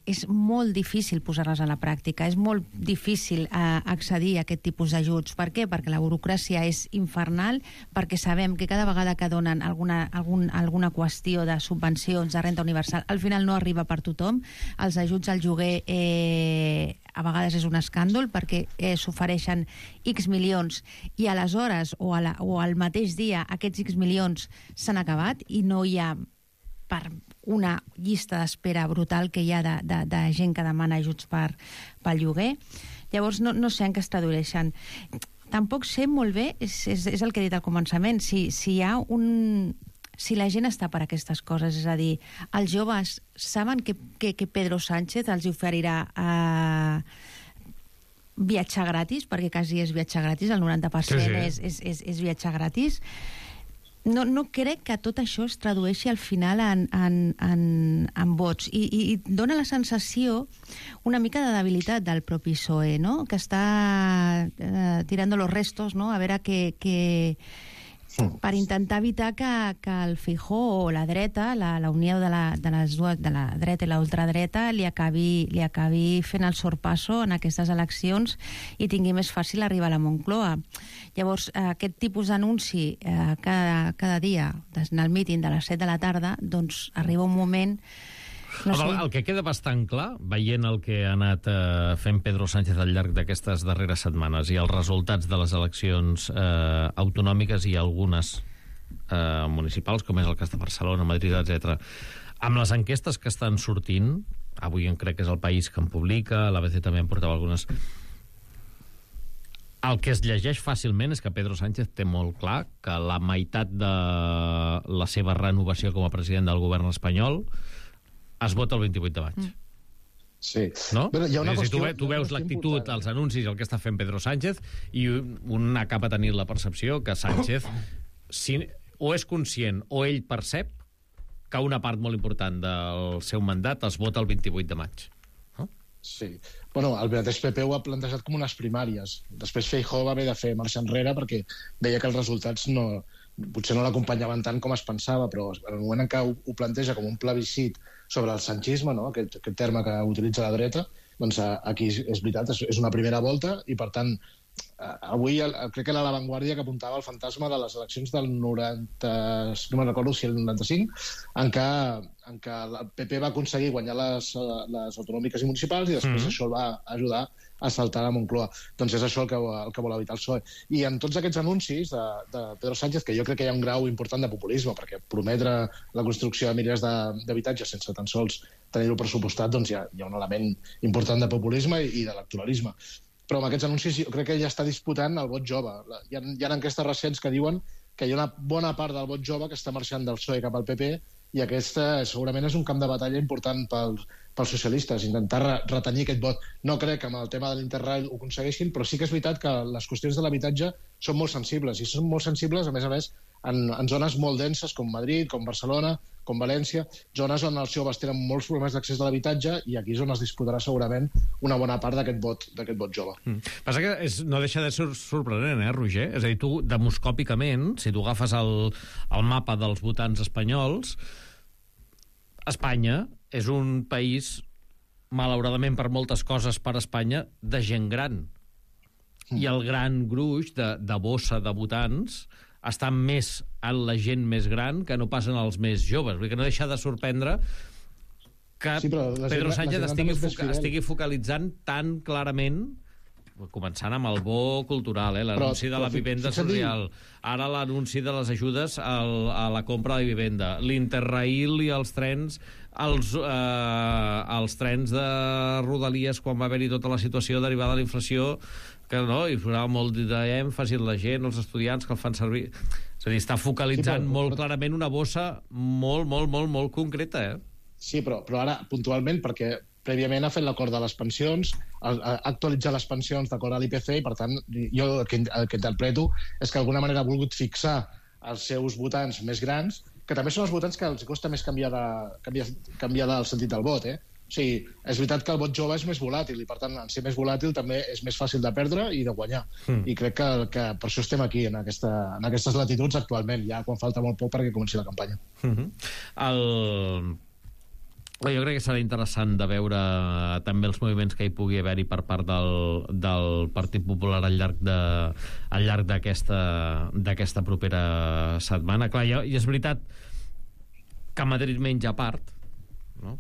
és molt difícil posar-les a la pràctica, és molt difícil accedir a aquest tipus d'ajuts. Per què? Perquè la burocràcia és infernal, perquè sabem que cada vegada que donen alguna qüestió de subvencions, de renda universal, al final no arriba per tothom. Els ajuts al lloguer a vegades és un escàndol perquè s'ofereixen X milions i aleshores o al mateix dia aquests X milions s'han acabat i no hi ha, per una llista d'espera brutal que hi ha de gent que demana ajuts pel lloguer. Llavors no sé en què es tradueixen. Tampoc sé molt bé, és el que he dit al començament, si hi ha si la gent està per aquestes coses, és a dir, els joves saben que Pedro Sánchez els oferirà viatjar gratis, perquè quasi és viatjar gratis, el 90% és viatjar gratis. No crec que tot això es tradueixi al final en vots, i dona la sensació una mica de debilitat del propi PSOE, no? Que està tirando los restos, no? A veure per intentar evitar que el Feijóo o la dreta, la unió de la dreta i la ultradreta li acabi fent el sorpasso en aquestes eleccions i tingui més fàcil arribar a la Moncloa. Llavors, aquest tipus d'anunci cada dia, en el míting de les 7 de la tarda, doncs arriba un moment... El que queda bastant clar, veient el que ha anat fent Pedro Sánchez al llarg d'aquestes darreres setmanes i els resultats de les eleccions autonòmiques i algunes municipals, com és el cas de Barcelona, Madrid, etc. Amb les enquestes que estan sortint, avui crec que és el País que en publica, l'ABC també en portava algunes, el que es llegeix fàcilment és que Pedro Sánchez té molt clar que la meitat de la seva renovació com a president del govern espanyol es vota el 28 de maig. Sí. No? Però hi ha una qüestió, tu veus l'actitud, els anuncis, el que està fent Pedro Sánchez, i un acaba tenint la percepció que Sánchez o és conscient o ell percep que una part molt important del seu mandat es vota el 28 de maig. No? Sí. Bueno, el mateix PP ho ha plantejat com unes primàries. Després Feijóo va haver de fer marxa enrere perquè veia que els resultats potser no l'acompanyaven tant com es pensava, però en el moment en què ho planteja com un plebiscit sobre el sanchisme, no? aquest terme que utilitza la dreta, doncs aquí és veritat, és una primera volta i, per tant, avui crec que era La Vanguardia que apuntava el fantasma de les eleccions del 90, no me'n recordo si el 95, en què el PP va aconseguir guanyar les autonòmiques i municipals i després això el va ajudar a saltar a Moncloa. Doncs és això el que vol evitar el PSOE. I en tots aquests anuncis de Pedro Sánchez, que jo crec que hi ha un grau important de populisme, perquè prometre la construcció de milers d'habitatges sense tan sols tenir-ho pressupostat, doncs hi ha un element important de populisme i d'electoralisme. Però amb aquests anuncis jo crec que ja està disputant el vot jove. Hi ha enquestes recents que diuen que hi ha una bona part del vot jove que està marxant del PSOE cap al PP i aquesta segurament és un camp de batalla important pels socialistes, intentar retenir aquest vot. No crec que amb el tema de l'Interrail ho aconsegueixin, però sí que és veritat que les qüestions de l'habitatge són molt sensibles, i són molt sensibles, a més, en zones molt denses com Madrid, com Barcelona, com València, zones on els joves tenen molts problemes d'accés a l'habitatge i aquí és on es disputarà segurament una bona part d'aquest vot jove. Passa que no deixa de ser sorprenent, Roger? És a dir, tu, demoscòpicament, si tu agafes el mapa dels votants espanyols, Espanya és un país, malauradament per moltes coses per Espanya, de gent gran. I el gran gruix de bossa de votants està més en la gent més gran que no passen els més joves. Vull dir que no deixa de sorprendre que Pedro Sánchez estigui focalitzant tan clarament, començant amb el bo cultural, l'anunci de la vivenda social, ara l'anunci de les ajudes a la compra de vivenda, l'Interrail i els trens, els trens de Rodalies quan va haver-hi tota la situació derivada de la inflació, que no, hi posava molt d'èmfasi la gent, els estudiants que el fan servir. És a dir, està focalitzant molt clarament una bossa molt concreta, Sí, però ara, puntualment, perquè prèviament ha fet l'acord de les pensions, ha actualitzat les pensions d'acord a l'IPC, i per tant, jo el que interpreto és que d'alguna manera ha volgut fixar els seus votants més grans, que també són els votants que els costa més canviar del sentit del vot, O sigui, és veritat que el vot jove és més volàtil i, per tant, en ser més volàtil també és més fàcil de perdre i de guanyar. I crec que per això estem aquí, en aquestes latituds actualment, ja quan falta molt poc perquè comenci la campanya. Jo crec que serà interessant de veure també els moviments que hi pugui haver-hi per part del Partit Popular al llarg d'aquesta propera setmana. Clar, i és veritat que Madrid menja a part, no?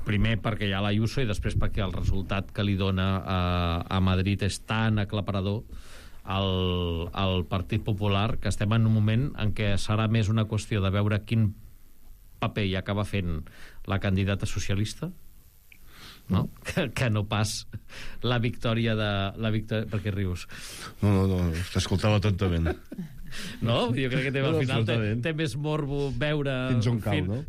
Primer perquè hi ha l'Ayuso i després perquè el resultat que li dona a Madrid és tan aclaparador al Partit Popular que estem en un moment en què serà més una qüestió de veure quin paper hi acaba fent la candidata socialista, no? Que no pas la victòria Per què rius? No, t'escoltava atentament. No? Jo crec que al final té més morbo veure fins on cau, no?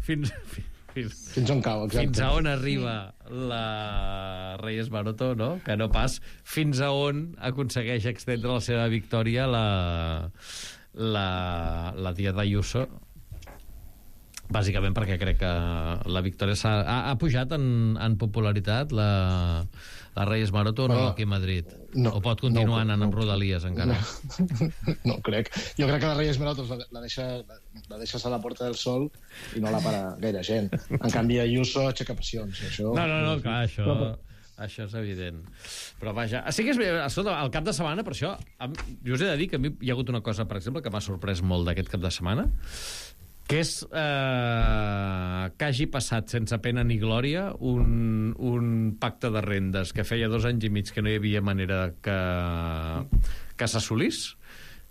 Fins on cau, exacte. Fins a on arriba la Reyes Maroto, no? Que no pas fins a on aconsegueix extendre la seva victòria la tia d'Ayuso, bàsicament perquè crec que la victòria ha pujat en popularitat la Reyes Maroto o no aquí a Madrid? O pot continuar anant amb Rodalies encara? No crec. Jo crec que la Reyes Maroto la deixes a la Porta del Sol i no la para gaire gent. En canvi, Ayuso aixeca passions. No, clar, això és evident. Però vaja, sí que és bé, escolta, el cap de setmana, per això, jo us he de dir que a mi hi ha hagut una cosa, per exemple, que m'ha sorprès molt d'aquest cap de setmana, que és que hagi passat sense pena ni glòria un pacte de rendes que feia 2 anys i mig que no hi havia manera que s'assolís,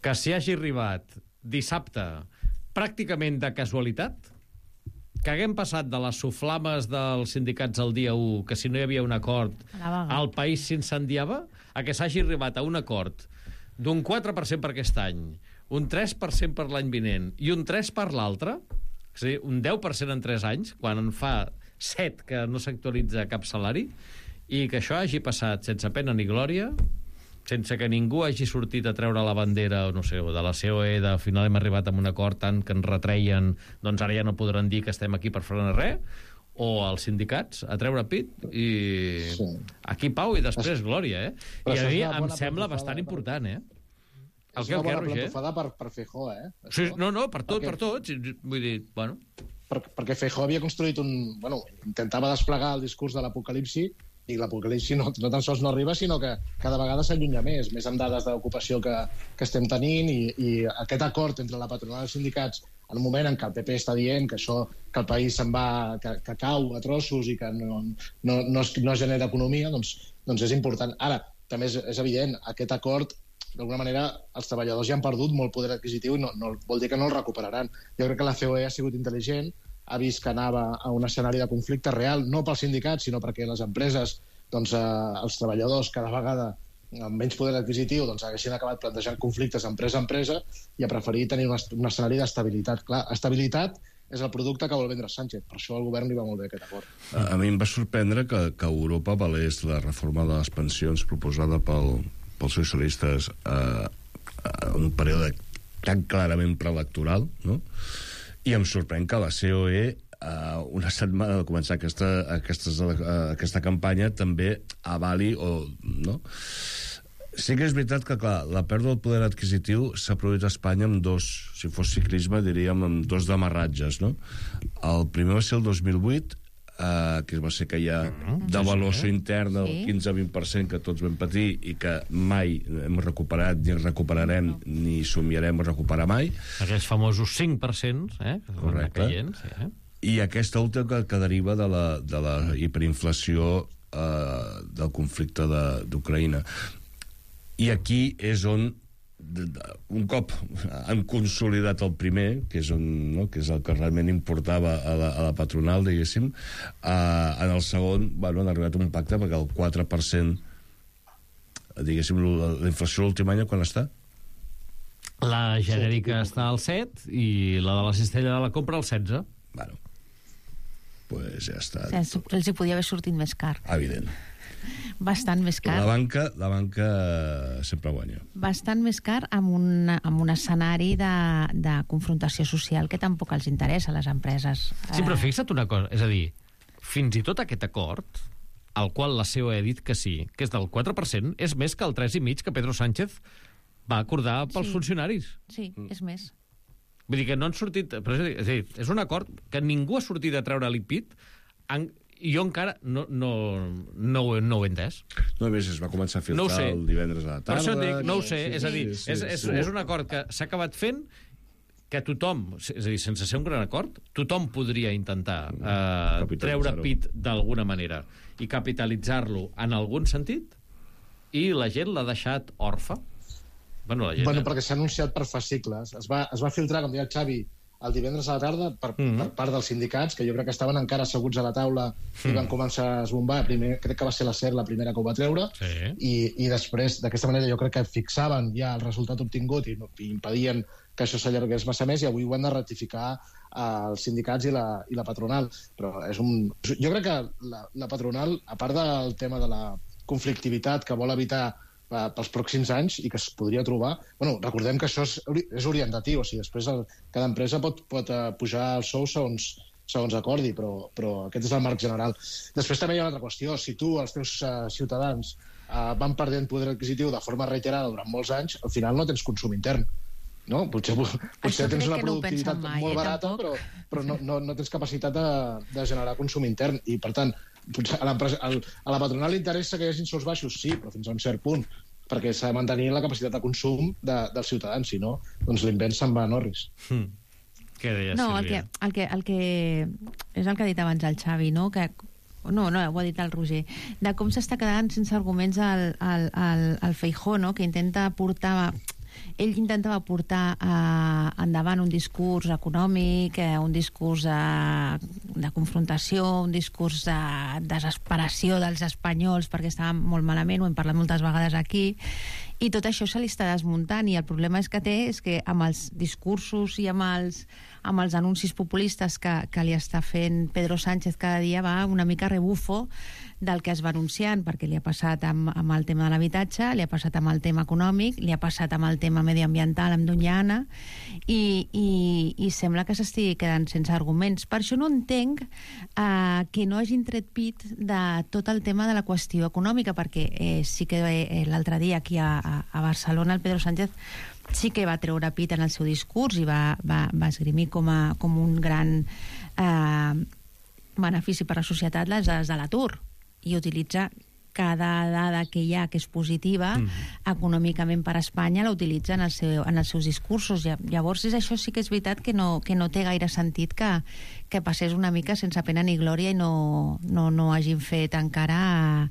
que s'hi hagi arribat dissabte pràcticament de casualitat, que haguem passat de les soflames dels sindicats el dia 1, que si no hi havia un acord el país s'incendiava, a que s'hagi arribat a un acord d'un 4% per aquest any, un 3% per l'any vinent i un 3% per l'altre, és a dir, un 10% en 3 anys, quan en fa 7 que no s'actualitza cap salari, i que això hagi passat sense pena ni glòria, sense que ningú hagi sortit a treure la bandera, no sé, de la COE, de al final hem arribat a un acord tant que ens retreien, doncs ara ja no podran dir que estem aquí per frenar res, o als sindicats a treure pit, i aquí pau i després glòria, I a mi em sembla bastant important, És una bona plantofada per Feijóo, Sí, no, per tot. Vull dir, bueno... Perquè Feijóo havia construït intentava desplegar el discurs de l'apocalipsi, i l'apocalipsi no tan sols no arriba, sinó que cada vegada s'allunya més amb dades d'ocupació que estem tenint, i aquest acord entre la patronal i els sindicats, en un moment en què el PP està dient que el país se'n va, que cau a trossos i que no genera economia, doncs és important. Ara, també és evident, aquest acord, d'alguna manera, els treballadors ja han perdut molt poder adquisitiu i no vol dir que no el recuperaran. Jo crec que la COE ha sigut intel·ligent, ha vist que anava a un escenari de conflicte real, no pels sindicats, sinó perquè les empreses, els treballadors, cada vegada amb menys poder adquisitiu, haguessin acabat plantejant conflictes empresa a empresa, i ha preferit tenir un escenari d'estabilitat. Clar, estabilitat és el producte que vol vendre Sánchez. Per això al govern li va molt bé aquest acord. A mi em va sorprendre que Europa valés la reforma de les pensions proposada pels socialistes en un període tan clarament preelectoral, no? I em sorprèn que la COE, una setmana de començar aquesta campanya, també avali no? Sí que és veritat que, clar, la pèrdua del poder adquisitiu s'ha produït a Espanya amb dos, si fos ciclisme, diríem, amb dos demarratges, no? El primer va ser el 2008, que va ser que hi ha devaluació interna del 15-20% que tots vam patir i que mai hem recuperat, ni recuperarem, ni somiarem a recuperar mai. Aquells famosos 5%, correcte. I aquesta última que deriva de la hiperinflació del conflicte d'Ucraïna. I aquí és on, un cop han consolidat el primer, que és el que realment importava a la patronal, diguéssim, en el segon han arribat a un pacte perquè el 4%, diguéssim, la inflació l'últim any quan està? La genèrica està al 7 i la de la cistella de la compra al 16. Bueno, pues ja està. Els hi podia haver sortit més car. Evident. Bastant més car. La banca sempre guanya. Bastant més car amb un escenari de confrontació social que tampoc els interessa a les empreses. Sí, però fixa't una cosa, és a dir, fins i tot aquest acord, al qual la COE ha dit que sí, que és del 4%, és més que el 3,5% que Pedro Sánchez va acordar pels funcionaris. Sí, és més. Vull dir que no han sortit... Però és a dir, és un acord que ningú ha sortit a treure-li pit, i jo encara no ho he entès. No, a més, es va començar a filtrar el divendres a la tarda. Per això dic, no ho sé, és a dir, és un acord que s'ha acabat fent que tothom, és a dir, sense ser un gran acord, tothom podria intentar treure pit d'alguna manera i capitalitzar-lo en algun sentit, i la gent l'ha deixat orfa. Bueno, perquè s'ha anunciat per fascicles. Es va filtrar, com deia el Xavi, el divendres a la tarda per part dels sindicats, que jo crec que estaven encara asseguts a la taula i van començar a esbombar. Crec que va ser la SER la primera que ho va treure, i després, d'aquesta manera, jo crec que fixaven ja el resultat obtingut i impedien que això s'allargués massa més, i avui ho han de ratificar els sindicats i la patronal. Però jo crec que la patronal, a part del tema de la conflictivitat que vol evitar pels pròxims anys i que es podria trobar... recordem que això és orientatiu, o sigui, després cada empresa pot pujar els sous segons acordi, però aquest és el marc general. Després també hi ha una altra qüestió. Si tu, els teus ciutadans, van perdent poder adquisitiu de forma reiterada durant molts anys, al final no tens consum intern. No? Potser tens una productivitat molt barata, però no tens capacitat de generar consum intern. I, per tant, a la patronal li interessa que hi hagi sous baixos, sí, però fins a un cert punt, perquè s'ha de mantenir la capacitat de consum dels ciutadans, si no, doncs l'invent se'n va a Norris. Què deies, Sílvia? El que és el que ha dit abans el Xavi, no? No, ho ha dit el Roger, de com s'està quedant sense arguments el Feijóo, no? Que intenta portar ell intentava portar endavant un discurs econòmic, un discurs de confrontació, un discurs de desesperació dels espanyols perquè estaven molt malament, ho hem parlat moltes vegades aquí, i tot això se li està desmuntant, i el problema és que amb els discursos i amb els anuncis populistes que li està fent Pedro Sánchez cada dia va una mica rebufo del que es va anunciant, perquè li ha passat amb el tema de l'habitatge, li ha passat amb el tema econòmic, li ha passat amb el tema medioambiental amb Doñana, i sembla que s'estigui quedant sense arguments. Per això no entenc que no hagin tret pit de tot el tema de la qüestió econòmica, perquè sí que l'altre dia aquí a Barcelona el Pedro Sánchez sí que va treure pit en el seu discurs i va esgrimir com un gran benefici per a la societat les dades de l'atur, i utilitza cada dada que hi ha que és positiva econòmicament per a Espanya, la utilitza en els seus discursos. Llavors això sí que és veritat que no té gaire sentit que passés una mica sense pena ni glòria i no hagin fet encara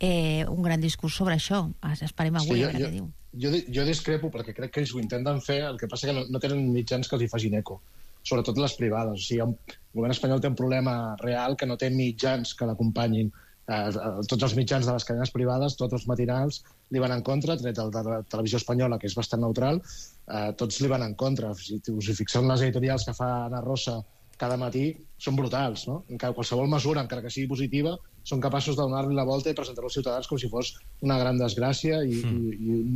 un gran discurs sobre això. Esperem avui a veure què diu. Jo discrepo perquè crec que ells ho intenten fer, el que passa que no tenen mitjans que els hi facin eco, sobretot les privades. O sigui, el govern espanyol té un problema real que no té mitjans que l'acompanyin. Tots els mitjans de les cadenes privades, tots els matinals li van en contra, tret el de la televisió espanyola, que és bastant neutral, tots li van en contra. Si us hi fixeu en les editorials que fa Ana Rosa cada matí, són brutals, no? Encara qualsevol mesura, encara que sigui positiva, són capaços de donar-li la volta i presentar-ho als ciutadans com si fos una gran desgràcia i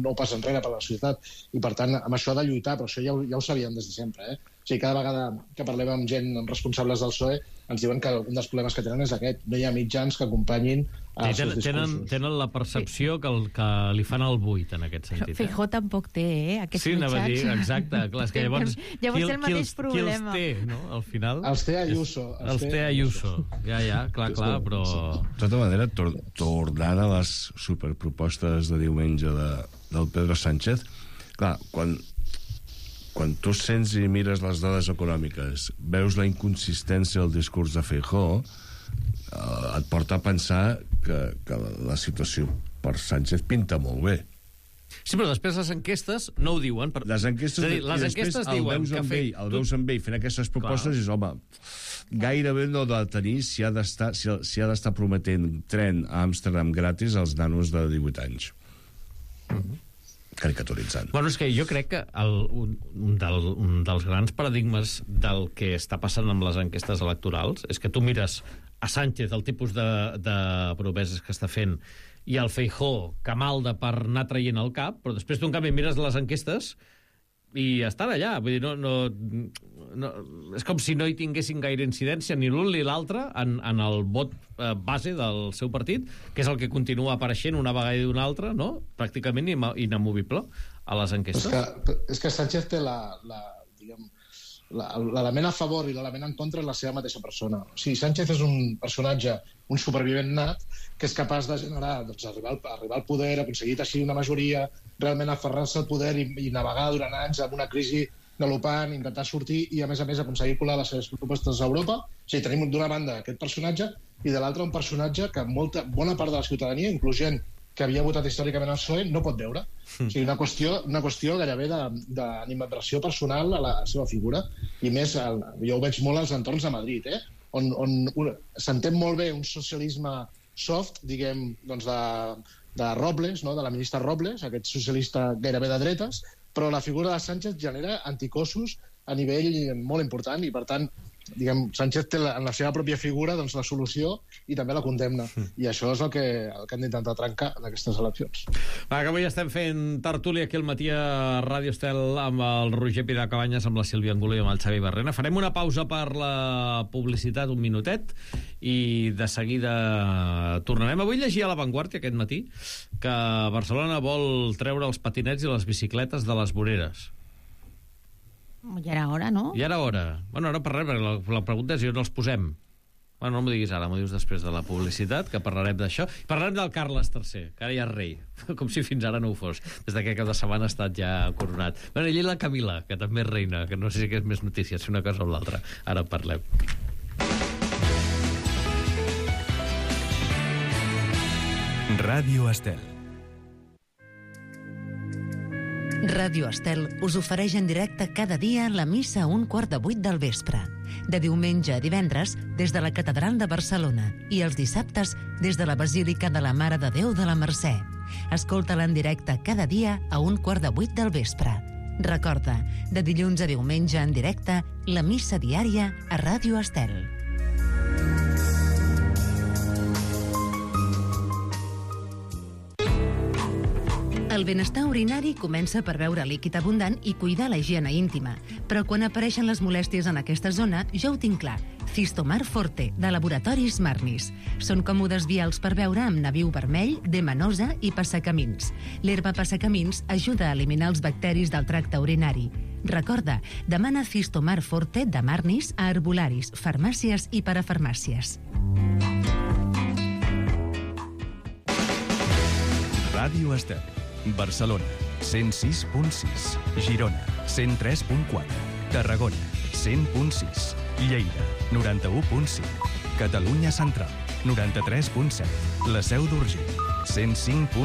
no pas enrere per a la societat. I, per tant, amb això ha de lluitar, però això ja ho sabíem des de sempre, O sigui, cada vegada que parlem amb gent, amb responsables del PSOE, ens diuen que un dels problemes que tenen és aquest. No hi ha mitjans que acompanyin els seus discursos. Tenen la percepció que li fan el buit, en aquest sentit. Feijó tampoc té, aquests mitjans. Sí, anava a dir, exacte. Clar, és que llavors el mateix problema. Qui els té, no? Al final... Els té Ayuso. Els té Ayuso. Ja, clar, però... De tota manera, tornant a les superpropostes de diumenge del Pedro Sánchez, clar, quan tu sents i mires les dades econòmiques, veus la inconsistència del discurs de Feijó, et porta a pensar que la situació per Sánchez pinta molt bé. Sí, però després les enquestes no ho diuen. Les enquestes diuen que el veus amb ell fent aquestes propostes i dius, home, gairebé no ha de tenir si ha d'estar prometent tren a Amsterdam gratis als nanos de 18 anys. Caricaturitzant. Bueno, és que jo crec que un dels grans paradigmes del que està passant amb les enquestes electorals és que tu mires a Sánchez, el tipus de promeses que està fent, i el Feijó, que malda per anar traient el cap, però després tu, en canvi, mires les enquestes i estan allà. Vull dir, no, és com si no hi tinguessin gaire incidència ni l'un ni l'altre en el vot base del seu partit, que és el que continua apareixent una vegada i una altra, no? Pràcticament inamovible a les enquestes. És que Sánchez té l'element a favor i l'element en contra en la seva mateixa persona. O sigui, Sánchez és un personatge, un supervivent nat, que és capaç de generar, arribar al poder, aconseguir teixir una majoria, realment aferrar-se al poder i navegar durant anys amb una crisi galopant, intentar sortir i, a més, aconseguir colar les seves propostes a Europa. O sigui, tenim d'una banda aquest personatge i de l'altra un personatge que bona part de la ciutadania, inclús gent que havia votat històricament al PSOE, no pot veure. O sigui, una qüestió gairebé d'animadversió personal a la seva figura. I més, jo ho veig molt als entorns de Madrid, on s'entén molt bé un socialisme soft, diguem, doncs de Robles, no? De la ministra Robles, aquest socialista gairebé de dretes, però la figura de Sánchez genera anticossos a nivell molt important i, per tant, diguem, Sánchez té en la seva pròpia figura doncs, la solució i també la condemna. I això és el que han d'intentar trencar en aquestes eleccions. Va, que avui estem fent tertúlia aquí al matí a Ràdio Estel amb el Roger Pilar Cabanyes, amb la Sílvia Angulo i amb el Xavi Barrena. Farem una pausa per la publicitat, un minutet, i de seguida tornarem. Avui llegia a La Vanguardia aquest matí que Barcelona vol treure els patinets i les bicicletes de les voreres. Ja era hora, no? Ja era hora. Bueno, ara parlem, perquè la pregunta és si on els posem. Bueno, no m'ho diguis ara, m'ho dius després de la publicitat, que parlarem d'això. Parlarem del Carles III, que ara ja és rei, com si fins ara no ho fos, des d'aquest cap de setmana ha estat ja coronat. Bueno, i la Camila, que també és reina, que no sé si és més notícia, si una cosa o l'altra. Ara parlem. Ràdio Estel. Ràdio Estel us ofereix en directe cada dia la missa a 7:15 del vespre. De diumenge a divendres, des de la Catedral de Barcelona, i els dissabtes, des de la Basílica de la Mare de Déu de la Mercè. Escolta-la en directe cada dia a 7:15 del vespre. Recorda, de dilluns a diumenge en directe, la missa diària a Ràdio Estel. El benestar urinari comença per beure líquid abundant i cuidar la higiene íntima. Però quan apareixen les molèsties en aquesta zona, jo ho tinc clar. Cistomar Forte, de Laboratoris Marnis. Són còmodes vials per beure amb nabiu vermell, demanosa i passacamins. L'herba passacamins ajuda a eliminar els bacteris del tracte urinari. Recorda, demana Cistomar Forte de Marnis a herbolaris, farmàcies i parafarmàcies. Ràdio Estel. Barcelona, 106.6. Girona, 103.4. Tarragona, 100.6. Lleida, 91.5. Catalunya Central, 93.7. La Seu d'Urgell, 105.